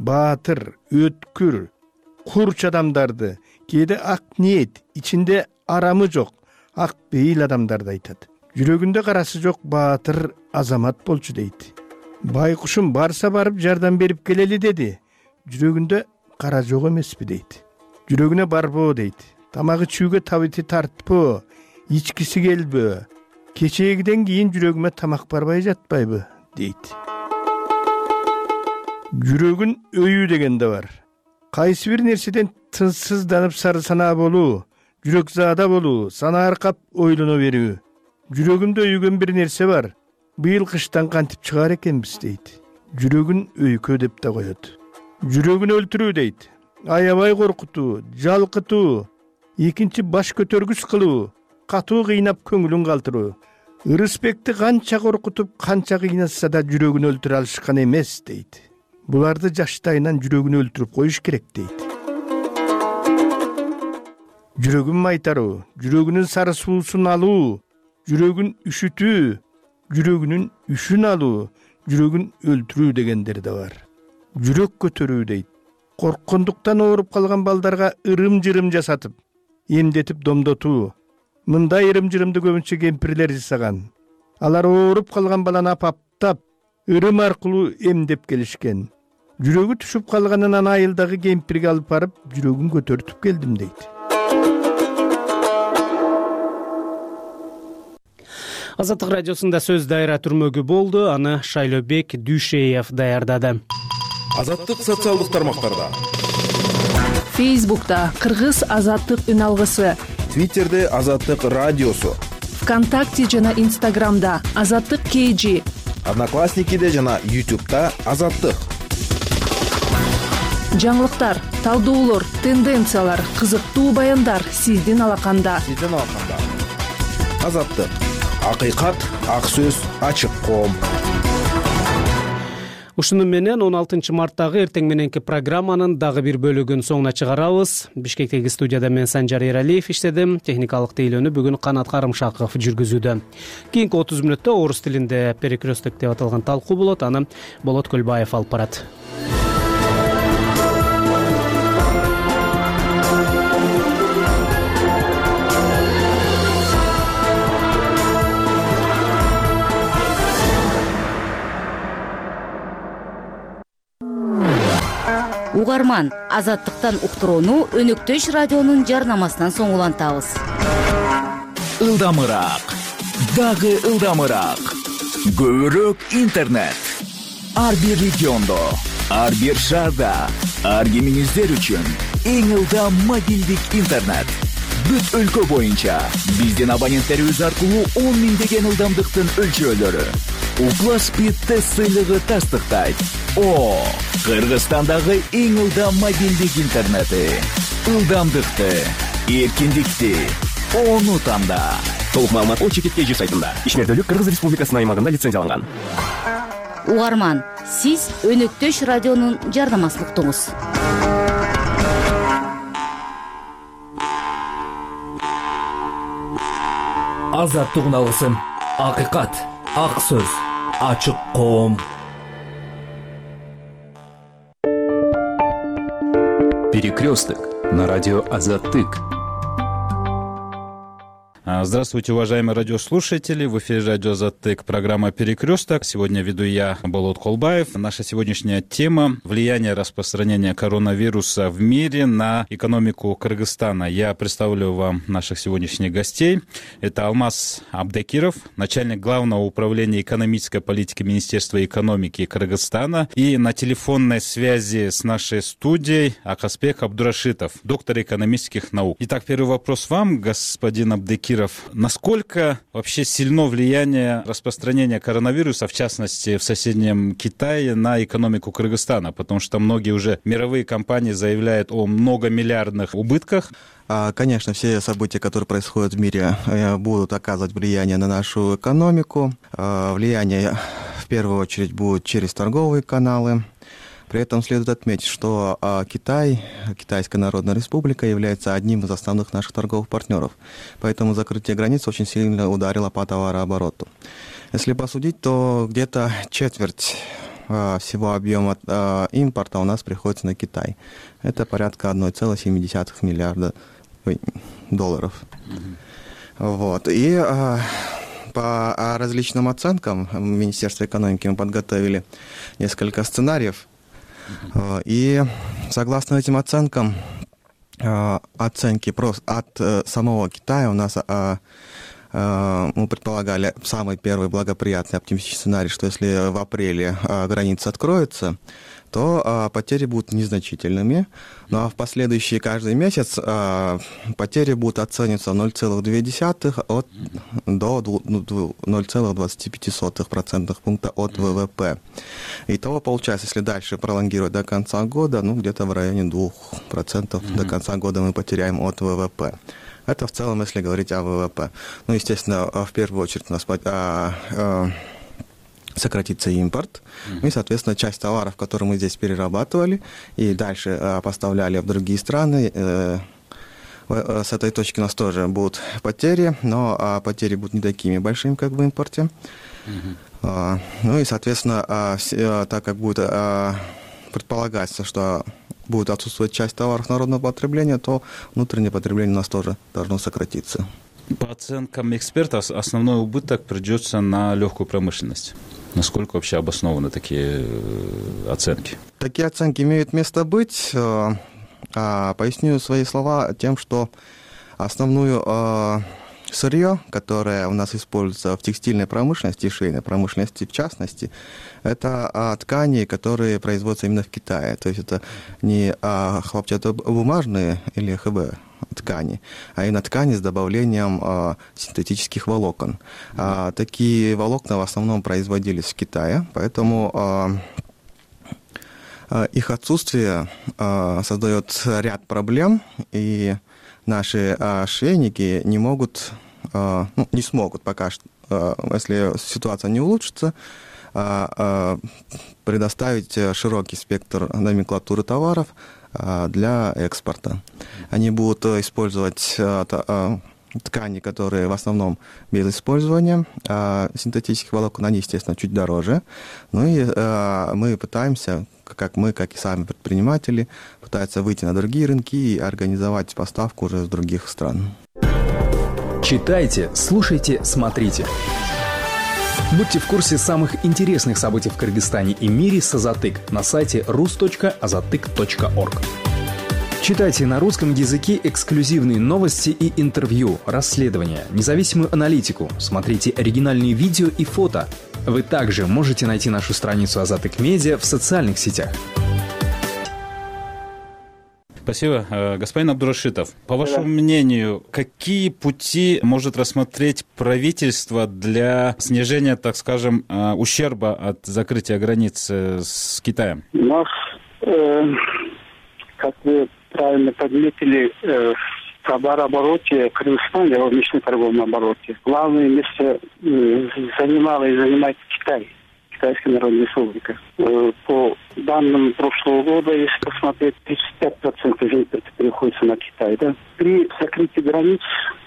баатыр, өткүр, курч адамдарды, кээде ак ниет, ичинде арамы жок, ак бейил адамдарды айтат. Жүрөгүндө карасы жок баатыр азамат болчу дейт. Байкушум барса барып жардам берип келели деди. Жүрөгүндө кара жок эмеспи дейт. Жүрөгүнө барбоо дейт. Тамагы чүүгө табити тартпоо, ичкиси келбөө. Кечегиден кийин жүрөгүмө тамак барбай жатпайбы дейт. Жүрөгүн өйүү деген да бар. Кайсы бир нерседен тынчсызданып сары санаа болуу, жүрөк заада болуу, санаа аркап ойлоно берүү. Жүрөгүмдө өйгөн бир нерсе бар. Быйыл кыштан кантип чыгаар экенбиз дейт. Жүрөгүн өйкө деп да коет. Жүрөгүн өлтүрүү дейт. Аябай коркутуу, жалкытуу, экинчи баш көтөргүс кылуу, катуу кыйнап көңүлүн калтыруу. Ырысбекти канча коркутуп, канча кыйнатса да жүрөгүн өлтүрө алышкан эмес дейт. Буларды жаштайынан жүрөгүн өлтүрүп коюш керек дейт. Жүрөгүн майтаруу, жүрөгүнүн сары суусун алуу, жүрөгүн үшүтүү, жүрөгүнүн үшүн алуу, жүрөгүн өлтүрүү дегендер да бар. Жүрөк көтөрүү дейт. Корккондуктан ооруп калган балдарга ырым-жырым жасатып, эмдетип домдотуу. Мындай ырым-жырымды көбүнчө кемпирлер жасаган. Алар ооруп калган баланы апаптап, ырым аркылуу эмдеп келишкен. Жүрөгү түшүп калганынан айылдагы кемпирге алып барып, жүрөгүн көтөртүп келдим дейт. Азаттык радиосунда сөз дайра түрмөгү болду. Аны Шайлообек Дүйшеев даярдады. Азаттык социалдык тармактарда. Фейсбукта Кыргыз азаттык үн алгысы. Твиттерде Азаттык радиосу. ВКонтакте жана Инстаграмда Азаттык кей жи. Одноклассникиде жана Ютубта Азаттык. Жаңылыктар, талдоолор, тенденциялар, кызыктуу баяндар сиздин алаканда. Сиздин алаканда. Азаттык. Акыйкат, ак сөз, ачык коом. Ушуну менен он алтынчы марттагы эртең мененки программанын дагы бир бөлүгүн соңуна чыгарабыз. Бишкектеги студияда мен Санжар Эралиев иштедим. Техникалык тейлөөнү бүгүн Канат Карымшаков жүргүзүүдө. Кийинки отуз мүнөттө орус тилинде перекресток деп аталган талкуу болот. Аны Болот Көлбаев алып барат. Угарман, азаттыктан уктурууну Өнөктөш радионун жарнамасынан соң улантабыз. Ылдамыраак, дагы ылдамыраак. Көбүрөөк интернет. Ар бир региондо, ар бир шаарда, ар кимиңиздер үчүн эң ылдам мобилдик интернет. Бүт өлкө боюнча биздин абоненттерибиз аркылуу он миңдеген ылдамдыктын өлчөөлөрү. Укла Спид тест сыйлыгы тастыктайт. О, Кыргызстандагы эң ылдам мобилдик интернети. Ылдамдыкты эркиндикти унутамда. Толук маалымат о чекит кей жи сайтында. Ишмердүүлүк Кыргыз Республикасынын аймагында лицензияланган. Угарман, сиз Өнөктөш радионун жарнамасын уктуңуз. Азаттык алгысым, акыйкат, ак сөз, ачык коом. Перекресток на радио Азаттык. Здравствуйте, уважаемые радиослушатели. В эфире радио Азаттык, программа «Перекресток». Сегодня веду я, Болот Колбаев. Наша сегодняшняя тема – влияние распространения коронавируса в мире на экономику Кыргызстана. Я представлю вам наших сегодняшних гостей. Это Алмаз Абдекиров, начальник Главного управления экономической политики Министерства экономики Кыргызстана. И на телефонной связи с нашей студией Акасбек Абдурашитов, доктор экономических наук. Итак, первый вопрос вам, господин Абдекиров. Насколько вообще сильно влияние распространения коронавируса, в частности в соседнем Китае, на экономику Кыргызстана? Потому что многие уже мировые компании заявляют о многомиллиардных убытках. Конечно, все события, которые происходят в мире, будут оказывать влияние на нашу экономику. Влияние в первую очередь будет через торговые каналы. При этом следует отметить, что Китай, Китайская Народная Республика, является одним из основных наших торговых партнеров. Поэтому закрытие границ очень сильно ударило по товарообороту. Если посудить, то где-то четверть всего объема импорта у нас приходится на Китай. Это порядка одна целая семь десятых миллиарда долларов. Вот. И по различным оценкам Министерства экономики мы подготовили несколько сценариев. И согласно этим оценкам, оценки просто от самого Китая у нас мы предполагали самый первый благоприятный оптимистический сценарий, что если в апреле граница откроется, то потери будут незначительными. Ну а в последующий каждый месяц потери будут оцениваться ноль целых две десятых от, до ноль целых двадцать пять сотых процентных пункта от ВВП. Итого получается, если дальше пролонгировать до конца года, ну где-то в районе двух процентов mm-hmm. до конца года мы потеряем от ВВП. Это в целом, если говорить о ВВП. Ну, естественно, в первую очередь у нас а, а, сократится импорт. Mm-hmm. И, соответственно, часть товаров, которые мы здесь перерабатывали и дальше а, поставляли в другие страны, э, с этой точки у нас тоже будут потери, но а, потери будут не такими большими, как в импорте. Mm-hmm. А, ну и, соответственно, а, а, так как будет а, предполагаться, что будет отсутствовать часть товаров народного потребления, то внутреннее потребление у нас тоже должно сократиться. По оценкам экспертов, основной убыток придется на легкую промышленность. Насколько вообще обоснованы такие оценки? Такие оценки имеют место быть. Поясню свои слова тем, что основную сырье, которое у нас используется в текстильной промышленности и швейной промышленности в частности, это ткани, которые производятся именно в Китае. То есть это не хлопчатобумажные или эйч би ткани, а именно ткани с добавлением синтетических волокон. Такие волокна в основном производились в Китае, поэтому их отсутствие создает ряд проблем, и наши швейники не могут, ну, не смогут пока что, если ситуация не улучшится, предоставить широкий спектр номенклатуры товаров для экспорта. Они будут использовать ткани, которые в основном без использования синтетических волокон, они, естественно, чуть дороже. Ну и мы пытаемся, как мы, как и сами предприниматели, пытаются выйти на другие рынки и организовать поставку уже из других стран. Читайте, слушайте, смотрите. Будьте в курсе самых интересных событий в Кыргызстане и мире с Азаттык на сайте рус точка азаттык точка орг. Читайте на русском языке эксклюзивные новости и интервью, расследования, независимую аналитику, смотрите оригинальные видео и фото. Вы также можете найти нашу страницу Азаттык Медиа в социальных сетях. Спасибо. Господин Абдурашитов, по вашему мнению, какие пути может рассмотреть правительство для снижения, так скажем, ущерба от закрытия границ с Китаем? Ну, э, как вы правильно подметили, э, товарообороте Кыргызстана, в внешнем торговом обороте, главное место занимала и занимает Китай, Китайская Народная Республика. По данным прошлого года, если посмотреть, тридцать пять процентов импорта приходится на Китай. Да? При закрытии границ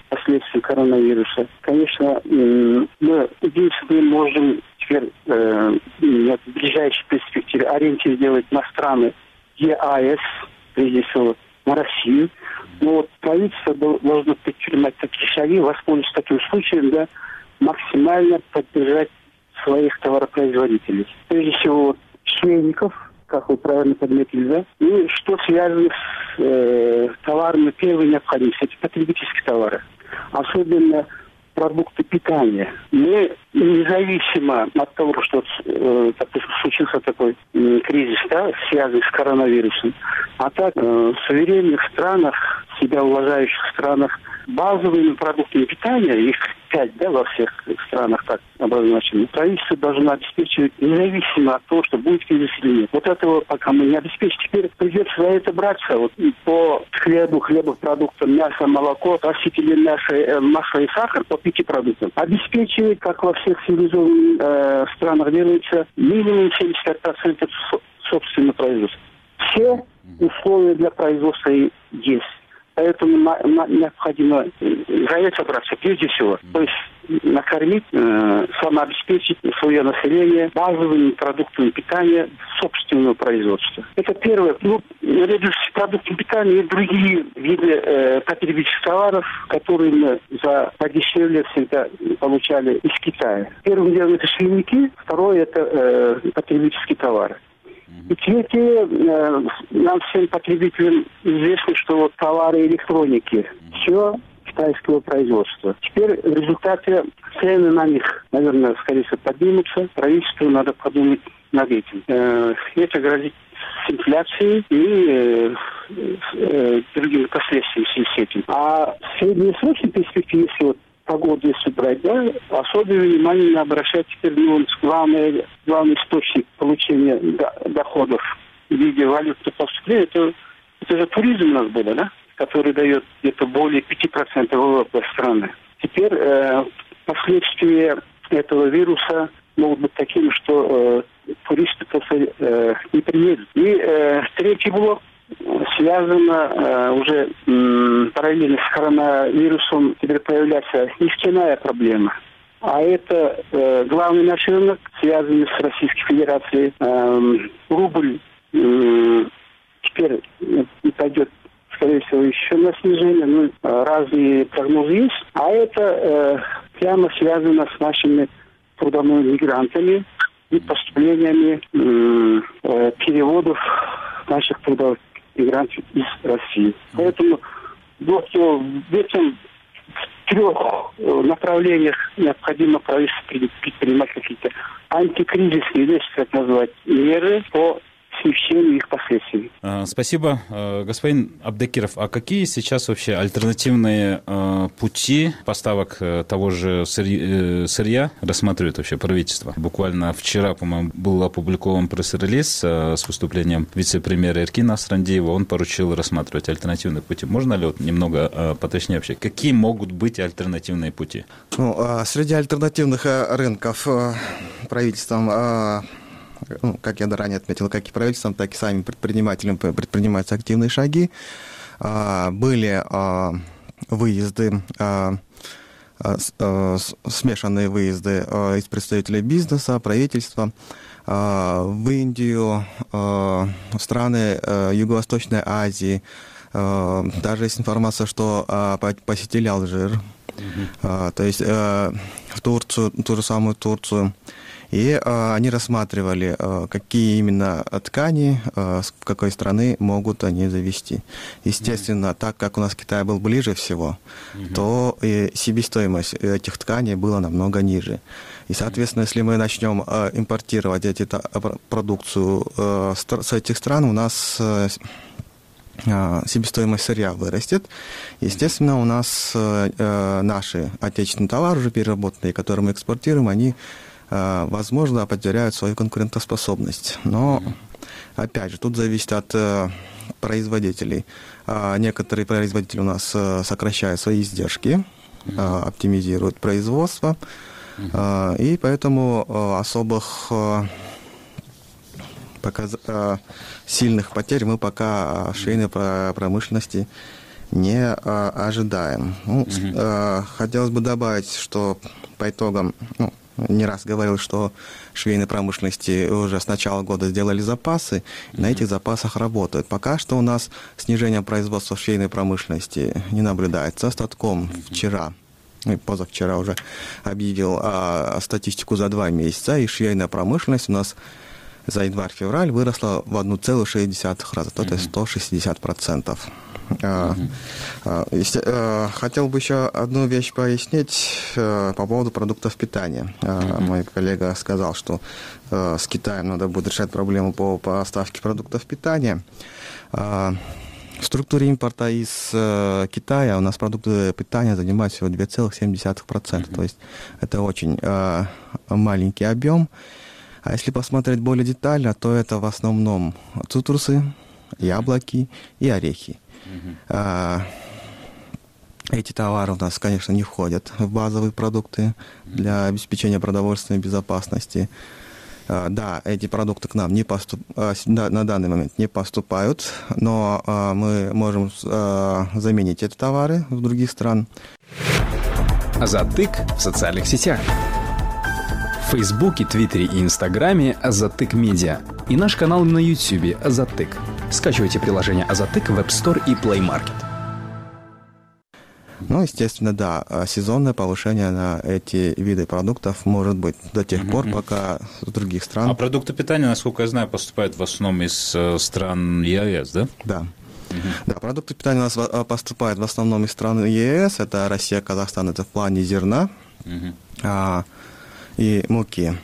последствий коронавируса, конечно, мы единственное можем теперь э, в ближайшей перспективе ориентир сделать на страны ЕАЭС, прежде всего на Россию. Но вот правительство должно предпринимать такие шаги, воспользоваться таким случаем, да, максимально поддержать своих товаропроизводителей. Прежде всего, вот, швейников, как вы правильно подметили, да, и что связано с э, товарами первой необходимости, это потребительские товары. Особенно продукты питания. Мы независимо от того, что э, случился такой э, кризис, да, связанный с коронавирусом, а так э, в суверенных странах, себя уважающих странах, базовыми продуктами питания, их пять, да, во всех странах так обозначено, правительство должно обеспечивать независимо от того, что будет кризис или нет. Вот этого пока мы не обеспечим. Теперь придется за это браться. Вот по хлебу, хлебопродуктам, мясо, молоко, растительное мясо, масло и сахар по пяти продуктам. Обеспечивать, как во всех цивилизованных э, странах делается, минимум семьдесят пять процентов собственного производства. Все условия для производства есть. Поэтому на, на, необходимо за это браться прежде всего. То есть накормить, э, самообеспечить свое население базовыми продуктами питания собственного производства. Это первое. Ну, наряду с продуктами питания и другие виды э, потребительских товаров, которые мы за подешевле всегда получали из Китая. Первым делом это швейники, второе это э, потребительские товары. И третье, э, нам всем потребителям известно, что вот товары электроники, все китайского производства. Теперь в результате цены на них, наверное, скорее всего, поднимутся. Правительству надо подумать над этим. Э, это грозит с инфляцией и э, э, другими последствиями в связи с этим. А в среднесрочной перспективе, если вот погоду, если брать, да, особое внимание надо обращать теперь ну, главный, главный источник получения доходов в виде валютных поступлений, это, это же туризм у нас был, да, который дает где-то более пяти процентов ВВП страны. Теперь э, последствия этого вируса могут быть такими, что э, туристы просто э, не приедут. И э, третий блок связано э, уже м, параллельно с коронавирусом теперь появляется нефтяная проблема. А это э, главный наш рынок, связанный с Российской Федерацией. Э, рубль э, теперь не пойдет, скорее всего, еще на снижение. Ну, разные прогнозы есть. А это э, прямо связано с нашими трудовыми мигрантами и поступлениями э, э, переводов наших трудовых мигрантов из России. Поэтому вот, в этом трех направлениях необходимо правительству предпринимать какие-то антикризисные, если так назвать, меры по смягчению их последствий. Спасибо. Господин Абдекиров, а какие сейчас вообще альтернативные пути поставок того же сырья рассматривает вообще правительство? Буквально вчера, по-моему, был опубликован пресс-релиз с выступлением вице-премьера Эркина Асрандиева. Он поручил рассматривать альтернативные пути. Можно ли вот немного поточнее вообще? Какие могут быть альтернативные пути? Ну, среди альтернативных рынков правительством, ну, как я ранее отметил, как и правительством, так и самим предпринимателям предпринимаются активные шаги. Были выезды, смешанные выезды из представителей бизнеса, правительства в Индию, в страны Юго-Восточной Азии. Даже есть информация, что посетили Алжир, mm-hmm. то есть в Турцию, ту же самую Турцию. И э, они рассматривали, э, какие именно ткани, э, с какой страны могут они завести. Естественно, mm-hmm. так как у нас Китай был ближе всего, mm-hmm. то и себестоимость этих тканей была намного ниже. И, соответственно, если мы начнем э, импортировать эти, та, продукцию э, с этих стран, у нас э, себестоимость сырья вырастет. Естественно, у нас э, наши отечественные товары, уже переработанные, которые мы экспортируем, они возможно, потеряют свою конкурентоспособность. Но Опять же, тут зависит от производителей. Некоторые производители у нас сокращают свои издержки, оптимизируют производство, и поэтому особых показ... сильных потерь мы пока в швейной промышленности не ожидаем. Ну, хотелось бы добавить, что по итогам, ну, не раз говорил, что в швейной промышленности уже с начала года сделали запасы, и на этих запасах работают. Пока что у нас снижение производства в швейной промышленности не наблюдается. Статком вчера, позавчера уже объявил а, статистику за два месяца, и швейная промышленность у нас за январь-февраль выросла в одна целая шесть десятых раза, то есть сто шестьдесят процентов. Uh-huh. Uh, uh, хотел бы еще одну вещь пояснить uh, по поводу продуктов питания. Uh, uh-huh. Мой коллега сказал, что uh, с Китаем надо будет решать проблему по поставке продуктов питания. Uh, в структуре импорта из uh, Китая у нас продукты питания занимают всего два целых семь десятых процента. Uh-huh. То есть это очень uh, маленький объем. А если посмотреть более детально, то это в основном цитрусы, яблоки и орехи. Uh-huh. А, эти товары у нас, конечно, не входят в базовые продукты для обеспечения продовольственной безопасности. А, да, эти продукты к нам не поступ... а, на данный момент не поступают, но а, мы можем а, заменить эти товары в других стран. Азаттык в социальных сетях. В Фейсбуке, Твиттере и Инстаграме Азаттык Медиа. И наш канал на Ютьюбе Азаттык. Скачивайте приложение Азаттык в App Store и Play Market. Ну, естественно, да, сезонное повышение на эти виды продуктов может быть до тех uh-huh. пор, пока с других стран... А продукты питания, насколько я знаю, поступают в основном из стран ЕАЭС, да? Да. Uh-huh. Да, продукты питания у нас поступают в основном из стран ЕАЭС. Это Россия, Казахстан, это в плане зерна uh-huh. а, и муки.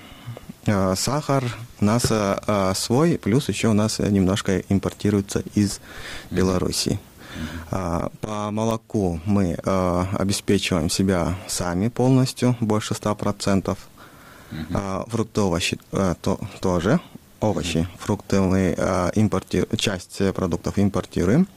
А, сахар у нас а, свой, плюс еще у нас немножко импортируется из Белоруссии. А, по молоку мы а, обеспечиваем себя сами полностью, больше ста процентов. А, фрукты, овощи а, то, тоже. Овощи, фрукты мы а, импортируем, часть продуктов импортируем.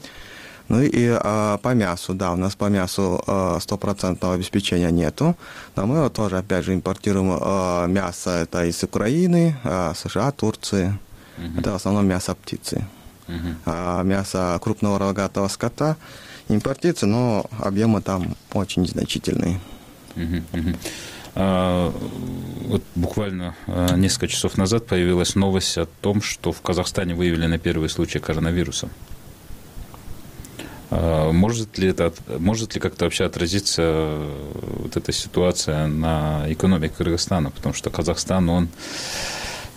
Ну и а, по мясу, да, у нас по мясу стопроцентного обеспечения нету, но мы тоже, опять же, импортируем а, мясо, это из Украины, а, США, Турции, uh-huh. это в основном мясо птицы. Uh-huh. А мясо крупного рогатого скота импортируется, но объемы там очень незначительные. Uh-huh. Uh-huh. А, вот буквально а, несколько часов назад появилась новость о том, что в Казахстане выявлены первые случаи коронавируса. Может ли это, может ли как-то вообще отразиться вот эта ситуация на экономике Кыргызстана? Потому что Казахстан, он,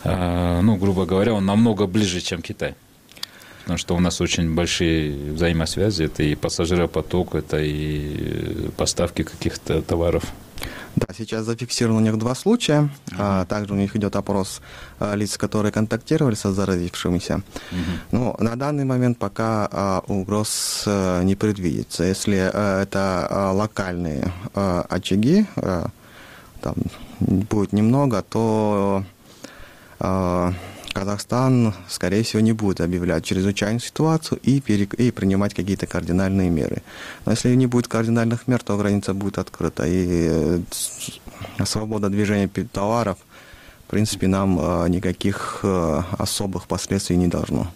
ну, грубо говоря, он намного ближе, чем Китай. Потому что у нас очень большие взаимосвязи, это и пассажиропоток, это и поставки каких-то товаров. Да, сейчас зафиксировано у них два случая. Uh-huh. А, также у них идет опрос а, лиц, которые контактировали со заразившимися. Uh-huh. Но на данный момент пока а, угроз а, не предвидится. Если а, это а, локальные а, очаги, а, там будет немного, то а, Казахстан, скорее всего, не будет объявлять чрезвычайную ситуацию и, перек... и принимать какие-то кардинальные меры. Но если не будет кардинальных мер, то граница будет открыта. И свобода движения товаров, в принципе, нам никаких особых последствий не должно.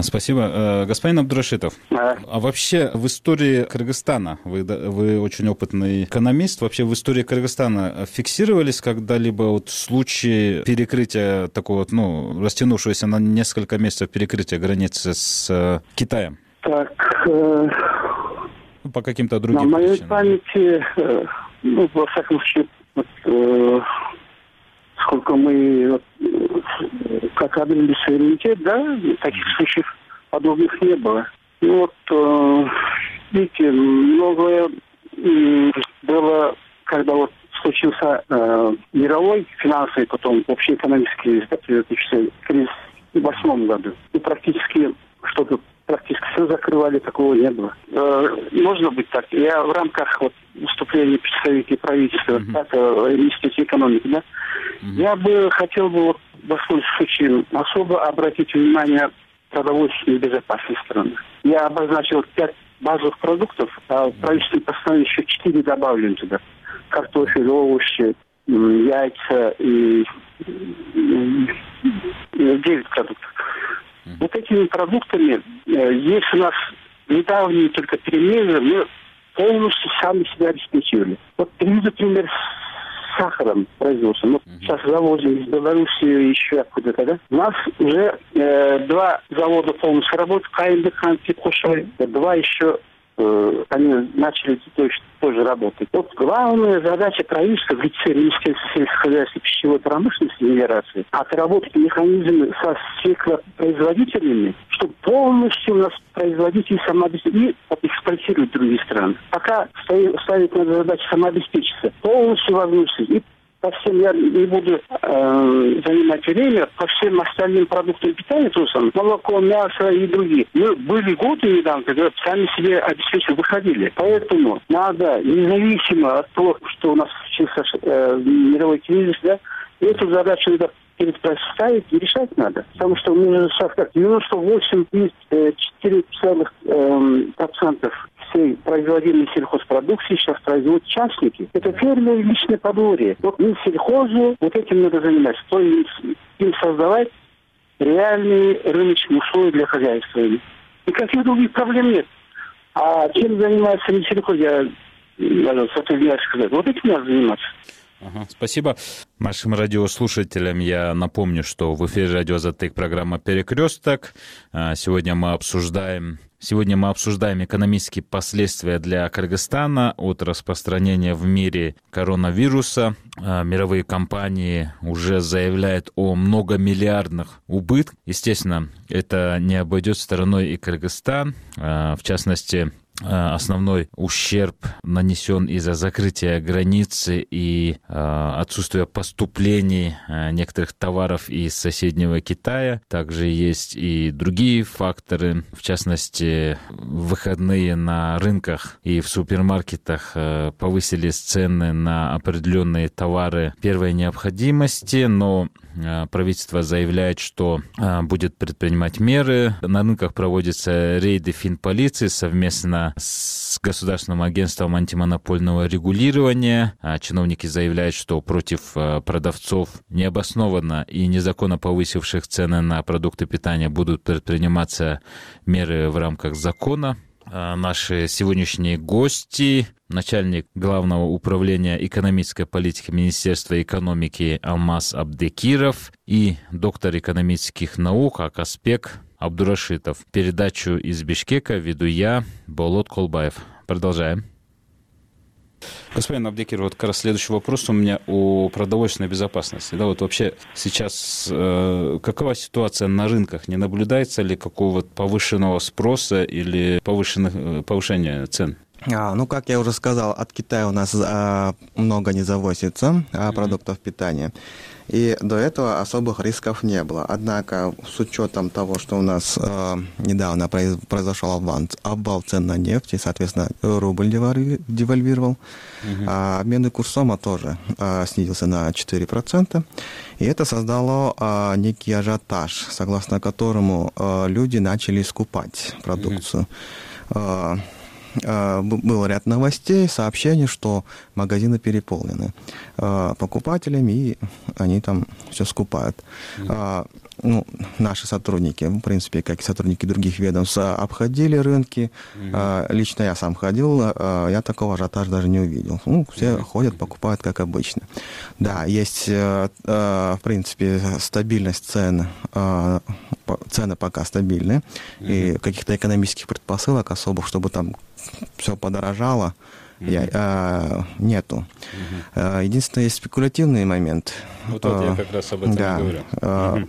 Спасибо. Господин Абдурашитов, а. а вообще в истории Кыргызстана, вы, вы очень опытный экономист, вообще в истории Кыргызстана фиксировались когда-либо вот случаи перекрытия такого вот, ну, растянувшегося на несколько месяцев перекрытия границы с Китаем? Так, э... ну, по каким-то другим на причинам. На моей памяти, э, ну, во всяком случае, вот, э, сколько мы... Вот, как обрели суверенитет, да, таких случаев подобных не было. И вот, э, видите, многое э, было, когда вот случился э, мировой финансовый, потом общеэкономический кризис в две тысячи восьмом году. И практически что-то практически все закрывали, такого не было. Можно быть так. Я в рамках вот выступления представителей правительства uh-huh. Института экономики, да, uh-huh. я бы хотел бы, воспользоваться случаем, особо обратить внимание на продовольственную безопасность страны. Я обозначил пять базовых продуктов, а в правительственном постановлении еще четыре добавлен туда. Картофель, овощи, яйца и девять продуктов. Mm-hmm. Вот этими продуктами, есть у нас недавние только перемены, мы полностью сами себя обеспечивали. Вот приведу пример с сахаром производством. Вот mm-hmm. сейчас завозим из Белоруссии еще откуда-то, да? У нас уже э, два завода полностью работают, КМДК, Петхушой, два еще э, они начали тоже, тоже работать. Вот главная задача правительства в лице Министерства сельского хозяйства и пищевой промышленности Федерации отработать механизмы со сельхозпроизводителями, чтобы полностью у нас производители самообеспечили и экспортировать в другие страны. Пока ставить надо задачу самообеспечиться, полностью возможности. И по всем, я не буду э, занимать время, по всем остальным продуктам питания, то есть молоко, мясо и другие. Мы были годы недавно, когда сами себе обеспечили, выходили. Поэтому надо, независимо от того, что у нас случился э, мировой кризис, да, эту задачу надо перед ставить и решать надо. Потому что мы сейчас как девяносто восемь целых четыре десятых процента всей производимой сельхозпродукции сейчас производят частники. Это фермеры и личное подворье. Вот мы сельхозу вот этим надо заниматься. То есть им создавать реальные рыночные условия для хозяйства. Никаких других проблем нет. А чем занимается Минсельхоз, я сотрудняюсь сказать. Вот этим надо заниматься. Ага, спасибо. Нашим радиослушателям я напомню, что в эфире радио «Азаттык» программа «Перекресток». Сегодня мы обсуждаем... Сегодня мы обсуждаем экономические последствия для Кыргызстана от распространения в мире коронавируса. Мировые компании уже заявляют о многомиллиардных убытках. Естественно, это не обойдет стороной и Кыргызстан. В частности, основной ущерб нанесен из-за закрытия границы и э, отсутствия поступлений э, некоторых товаров из соседнего Китая. Также есть и другие факторы, в частности, выходные на рынках и в супермаркетах э, повысились цены на определенные товары первой необходимости, но э, правительство заявляет, что э, будет предпринимать меры. На рынках проводятся рейды финполиции совместно с Государственным агентством антимонопольного регулирования. Чиновники заявляют, что против продавцов необоснованно и незаконно повысивших цены на продукты питания будут предприниматься меры в рамках закона. Наши сегодняшние гости, начальник Главного управления экономической политики Министерства экономики Алмаз Абдекиров и доктор экономических наук Акаспек Абдурашитов. Передачу из Бишкека веду я, Болот Колбаев. Продолжаем. Господин Абдекир, вот как раз следующий вопрос у меня о продовольственной безопасности. Да, вот вообще сейчас э, какова ситуация на рынках? Не наблюдается ли какого-то повышенного спроса или повышенных, повышения цен? А, ну, как я уже сказал, от Китая у нас а, много не завозится а, продуктов питания. И до этого особых рисков не было. Однако, с учетом того, что у нас э, недавно произ, произошел обвал, обвал цен на нефть, и, соответственно, рубль девальвировал, uh-huh. а обменный курс СОМа тоже э, снизился на четыре процента. И это создало э, некий ажиотаж, согласно которому э, люди начали скупать продукцию. Uh-huh. Был ряд новостей, сообщений, что магазины переполнены покупателями, и они там все скупают. Mm-hmm. Ну, наши сотрудники, в принципе, как и сотрудники других ведомств, обходили рынки. Mm-hmm. Лично я сам ходил, я такого ажиотажа даже не увидел. Ну, все mm-hmm. ходят, покупают, как обычно. Да, есть, в принципе, стабильность цен, цены пока стабильны, mm-hmm. и каких-то экономических предпосылок особых, чтобы там все подорожало, mm-hmm. я, а, нету. Mm-hmm. Единственное, есть спекулятивный момент. Вот, вот я как раз об этом да, и говорю. А, mm-hmm.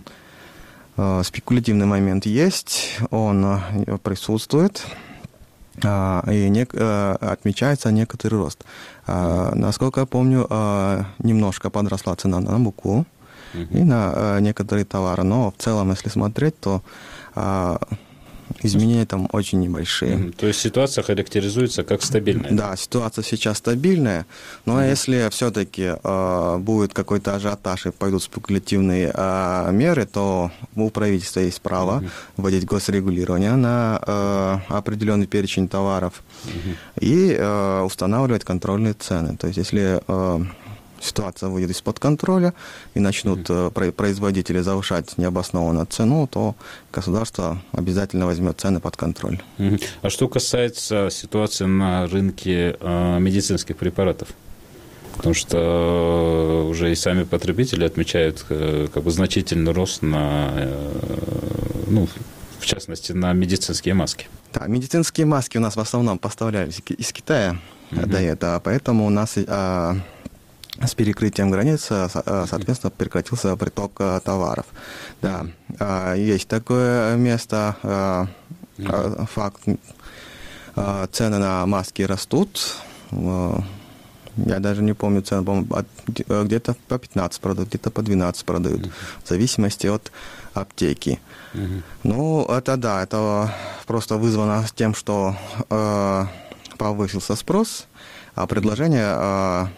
а, спекулятивный момент есть, он присутствует, а, и не, а, отмечается некоторый рост. А, насколько я помню, а, немножко подросла цена на муку mm-hmm. и на а, некоторые товары, но в целом, если смотреть, то а, изменения там очень небольшие. Mm-hmm. То есть ситуация характеризуется как стабильная? Да, ситуация сейчас стабильная, но mm-hmm. если все-таки э, будет какой-то ажиотаж и пойдут спекулятивные э, меры, то у правительства есть право mm-hmm. вводить госрегулирование на э, определенный перечень товаров mm-hmm. и э, устанавливать контрольные цены. То есть если э, ситуация выйдет из-под контроля и начнут mm-hmm. производители завышать необоснованно цену, то государство обязательно возьмет цены под контроль. Mm-hmm. А что касается ситуации на рынке э, медицинских препаратов? Потому что уже и сами потребители отмечают э, как бы значительный рост на, э, ну, в частности, на медицинские маски. Да, медицинские маски у нас в основном поставлялись из Китая mm-hmm. до этого, поэтому у нас э, с перекрытием границ, соответственно, прекратился приток товаров. Да, есть такое место, факт, цены на маски растут. Я даже не помню цены, по-моему, где-то по пятнадцать продают, где-то по двенадцать продают, в зависимости от аптеки. Ну, это да, это просто вызвано тем, что повысился спрос, а предложение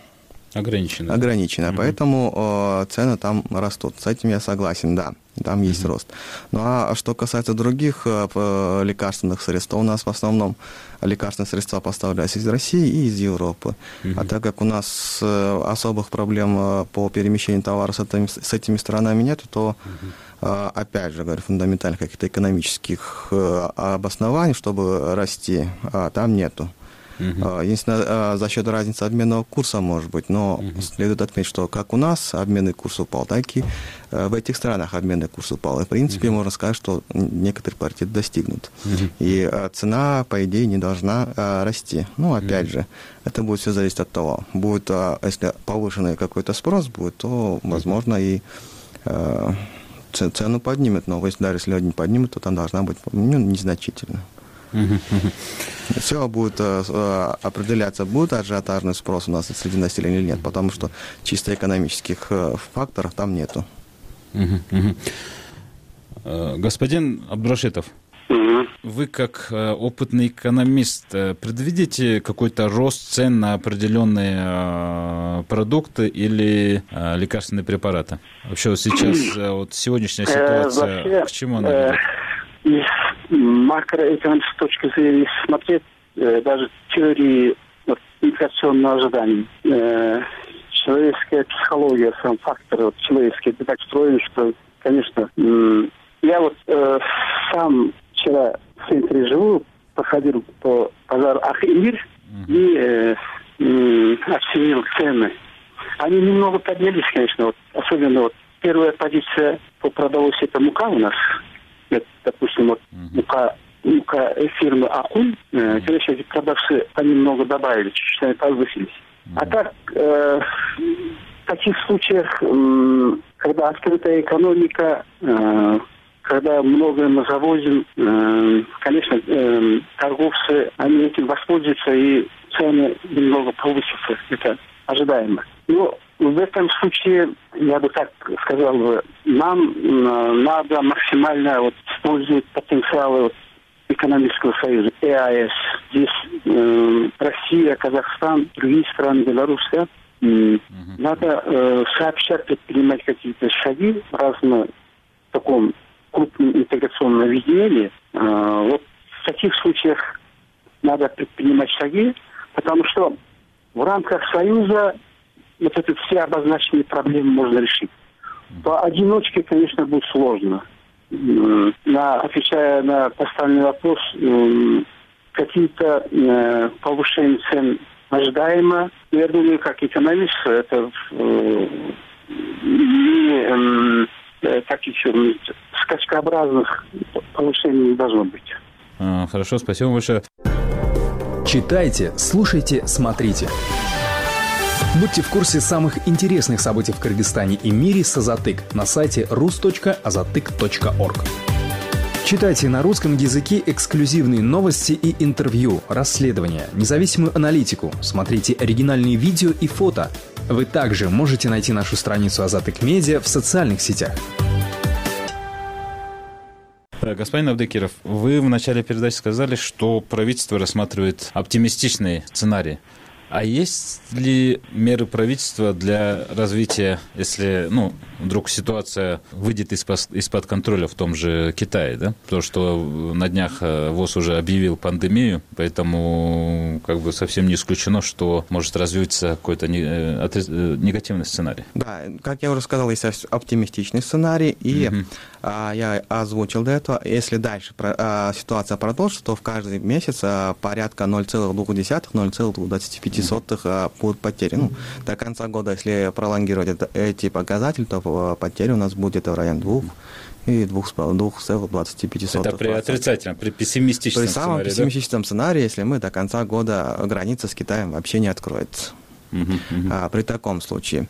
ограничено. Ограничено, mm-hmm. поэтому э, цены там растут. С этим я согласен, да, там mm-hmm. есть рост. Ну а что касается других э, лекарственных средств, то у нас в основном лекарственные средства поставлялись из России и из Европы. Mm-hmm. А так как у нас э, особых проблем э, по перемещению товара с этими, с этими странами нет, то mm-hmm. э, опять же, говорю, фундаментальных каких-то экономических э, обоснований, чтобы расти, э, там нету. Uh-huh. Единственное, за счет разницы обменного курса, может быть, но uh-huh. следует отметить, что как у нас обменный курс упал, так и в этих странах обменный курс упал. И, в принципе, uh-huh. можно сказать, что некоторый паритет достигнут. Uh-huh. И цена, по идее, не должна расти. Ну, опять uh-huh. же, это будет все зависеть от того. Будет, если повышенный какой-то спрос будет, то, возможно, и цену поднимет. Но если даже если не поднимет, то там должна быть, ну, незначительно. Все будет э, определяться, будет ажиотажный спрос у нас среди населения или нет, потому что чисто экономических э, факторов там нету. Господин Абдурашитов, вы как э, опытный экономист э, предвидите какой-то рост цен на определенные э, продукты или э, лекарственные препараты? Вообще вот сейчас э, вот сегодняшняя ситуация, Вообще, к чему она ведет? Из макроэкономической точки зрения смотреть, э, даже теории вот, инфляционного ожидания, э, человеческая психология, сам фактор вот, человеческий, это так устроен, что, конечно, э, я вот э, сам вчера в центре живу, походил по базару Ах-и-Мир uh-huh. и э, э, оценил цены. Они немного поднялись, конечно, вот, особенно вот первая позиция по продовольствию, это мука у нас. Это, допустим, вот uh-huh. мука, мука фирмы Акун, э, конечно, эти продавцы понемногу добавили, чуть-чуть они повысились. Uh-huh. А так, э, в таких случаях, э, когда открытая экономика, э, когда многое мы завозим, э, конечно, э, торговцы, они этим воспользуются, и цены немного повысятся, это ожидаемо. Но в этом случае, я бы так сказал, нам э, надо максимально вот, использовать потенциалы вот, экономического союза, ЭАЭС. Здесь э, Россия, Казахстан, другие страны, Беларусь, да? uh-huh. Надо э, сообща предпринимать какие-то шаги в разном таком крупном интеграционном объединении. Э, вот в таких случаях надо предпринимать шаги, потому что в рамках союза вот эти все обозначенные проблемы можно решить. По одиночке, конечно, будет сложно. На, отвечая на поставленный вопрос, какие-то э, повышения цен ожидаемо. Я думаю, как экономист, это э, не э, таких скачкообразных повышений не должно быть. А, хорошо, спасибо большое. Читайте, слушайте, смотрите. Будьте в курсе самых интересных событий в Кыргызстане и мире с Азатык на сайте рус точка азатык точка орг. Читайте на русском языке эксклюзивные новости и интервью, расследования, независимую аналитику, смотрите оригинальные видео и фото. Вы также можете найти нашу страницу Азатык Медиа в социальных сетях. Господин Абдыкиров, вы в начале передачи сказали, что правительство рассматривает оптимистичный сценарий. А есть ли меры правительства для развития, если, ну, вдруг ситуация выйдет из-под, из-под контроля в том же Китае, да? Потому что на днях ВОЗ уже объявил пандемию, поэтому как бы совсем не исключено, что может развиться какой-то негативный сценарий. Да, как я уже сказал, есть оптимистичный сценарий, и угу. а, я озвучил до этого, если дальше а, ситуация продолжится, то в каждый месяц а, порядка ноль целых две десятых - ноль целых двадцать пять сотых а, будут потери. Ну, до конца года, если пролонгировать это, эти показатели, то а, потери у нас будет в районе двух и двух целых двадцати пяти сотых. Это при отрицательном, при пессимистичном при сценарии. При самом пессимистичном да? сценарии, если мы до конца года граница с Китаем вообще не откроется. Uh-huh, uh-huh. А, при таком случае.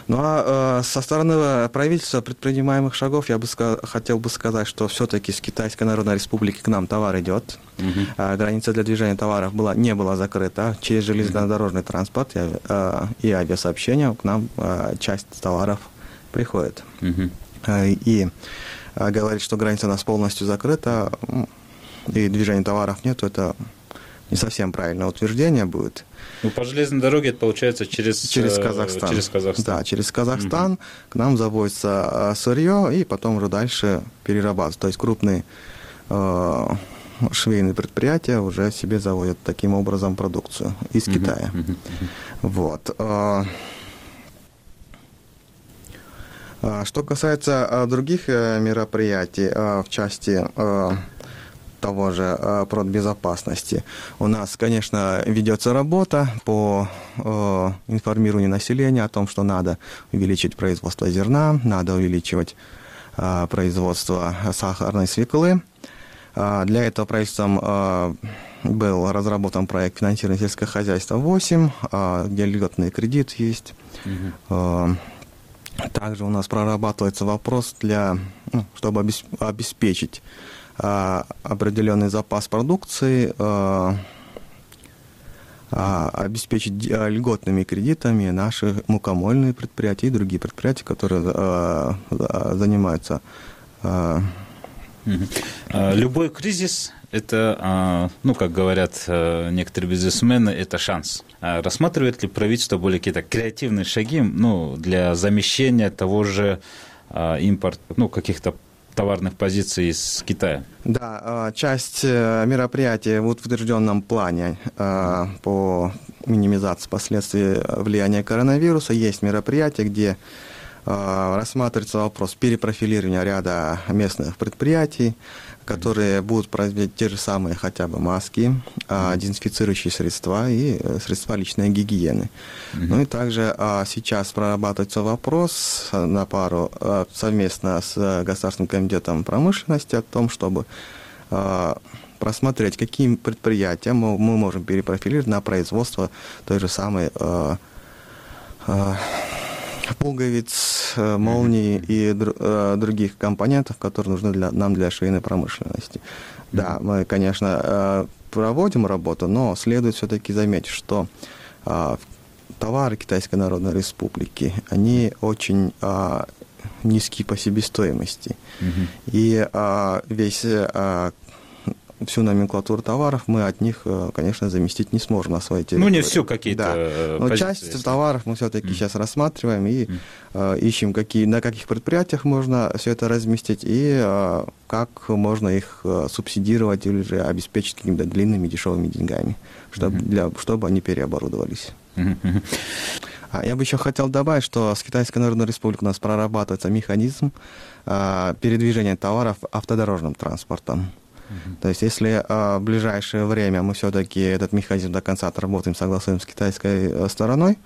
Ну а, а со стороны правительства предпринимаемых шагов я бы ска- хотел бы сказать, что все-таки с Китайской Народной Республики к нам товар идет. Uh-huh. А, граница для движения товаров была, не была закрыта. Через железнодорожный uh-huh. транспорт и, а, и авиасообщение к нам а, часть товаров приходит. Uh-huh. А, и а, говорить, что граница у нас полностью закрыта и движения товаров нет, это не совсем правильное утверждение будет. Ну, по железной дороге это получается через, через Казахстан. Через Казахстан. Да, через Казахстан угу. к нам завозится сырье и потом уже дальше перерабатывается. То есть крупные э, швейные предприятия уже себе заводят таким образом продукцию из угу. Китая. Угу. Вот. Что касается других мероприятий в части того же продбезопасности. У нас, конечно, ведется работа по э, информированию населения о том, что надо увеличить производство зерна, надо увеличивать э, производство сахарной свеклы. Э, для этого правительством э, был разработан проект финансирования сельского хозяйства восемь, э, где льготный кредит есть. Mm-hmm. Э, также у нас прорабатывается вопрос для, ну, чтобы обеспечить определенный запас продукции, обеспечить льготными кредитами наши мукомольные предприятия и другие предприятия, которые занимаются. Любой кризис – это, ну, как говорят некоторые бизнесмены, это шанс. Рассматривает ли правительство более какие-то креативные шаги, ну, для замещения того же импорта, ну, каких-то товарных позиций из Китая? Да, часть мероприятий в утвержденном плане по минимизации последствий влияния коронавируса. Есть мероприятия, где рассматривается вопрос перепрофилирования ряда местных предприятий, которые будут производить те же самые хотя бы маски, дезинфицирующие средства и средства личной гигиены. Mm-hmm. Ну и также сейчас прорабатывается вопрос на пару совместно с Государственным комитетом промышленности о том, чтобы просмотреть, какие предприятия мы можем перепрофилировать на производство той же самой пуговиц, молний и других компонентов, которые нужны для, нам для швейной промышленности. Да, мы, конечно, проводим работу, но следует все-таки заметить, что товары Китайской Народной Республики, они очень низкие по себестоимости. Mm-hmm. И весь всю номенклатуру товаров мы от них, конечно, заместить не сможем на своей территории. Ну, не все какие-то да. Но позиции, часть товаров мы все-таки mm. сейчас рассматриваем и mm. э, ищем, какие, на каких предприятиях можно все это разместить и э, как можно их э, субсидировать или же обеспечить какими-то длинными дешевыми деньгами, чтобы, mm-hmm. для, чтобы они переоборудовались. Mm-hmm. А я бы еще хотел добавить, что с Китайской Народной Республикой у нас прорабатывается механизм э, передвижения товаров автодорожным транспортом. Uh-huh. То есть, если а, в ближайшее время мы все-таки этот механизм до конца отработаем, согласуем с китайской а, стороной,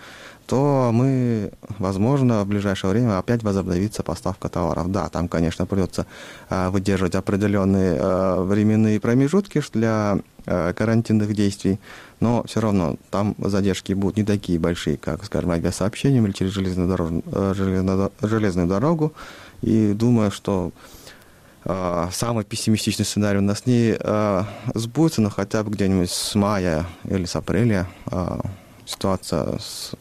то мы, возможно, в ближайшее время опять возобновится поставка товаров. Да, там, конечно, придется а, выдерживать определенные а, временные промежутки для а, карантинных действий, но все равно там задержки будут не такие большие, как, скажем, авиасообщением или через железную, дорож... железную... железную дорогу. И думаю, что самый пессимистичный сценарий у нас не а, сбудется, но хотя бы где-нибудь с мая или с апреля а, ситуация с,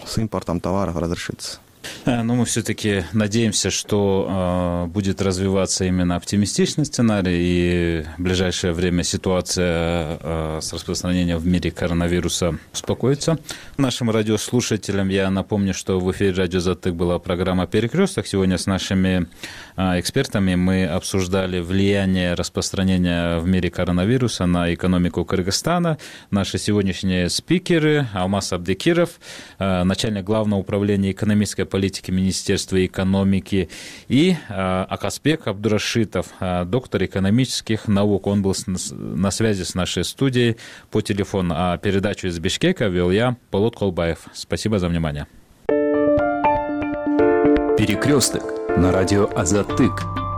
с импортом товаров разрешится. Но мы все-таки надеемся, что э, будет развиваться именно оптимистичный сценарий, и в ближайшее время ситуация э, с распространением в мире коронавируса успокоится. Нашим радиослушателям я напомню, что в эфире радио «Азаттык» была программа «Перекресток». Сегодня с нашими э, экспертами мы обсуждали влияние распространения в мире коронавируса на экономику Кыргызстана. Наши сегодняшние спикеры: Алмаз Абдекиров, э, начальник Главного управления экономической политики Министерства экономики, и э, Акасбек Абдурашитов, э, доктор экономических наук. Он был с, на связи с нашей студией по телефону. А передачу из Бишкека вел я, Болот Колбаев. Спасибо за внимание. Перекресток на радио «Азаттык».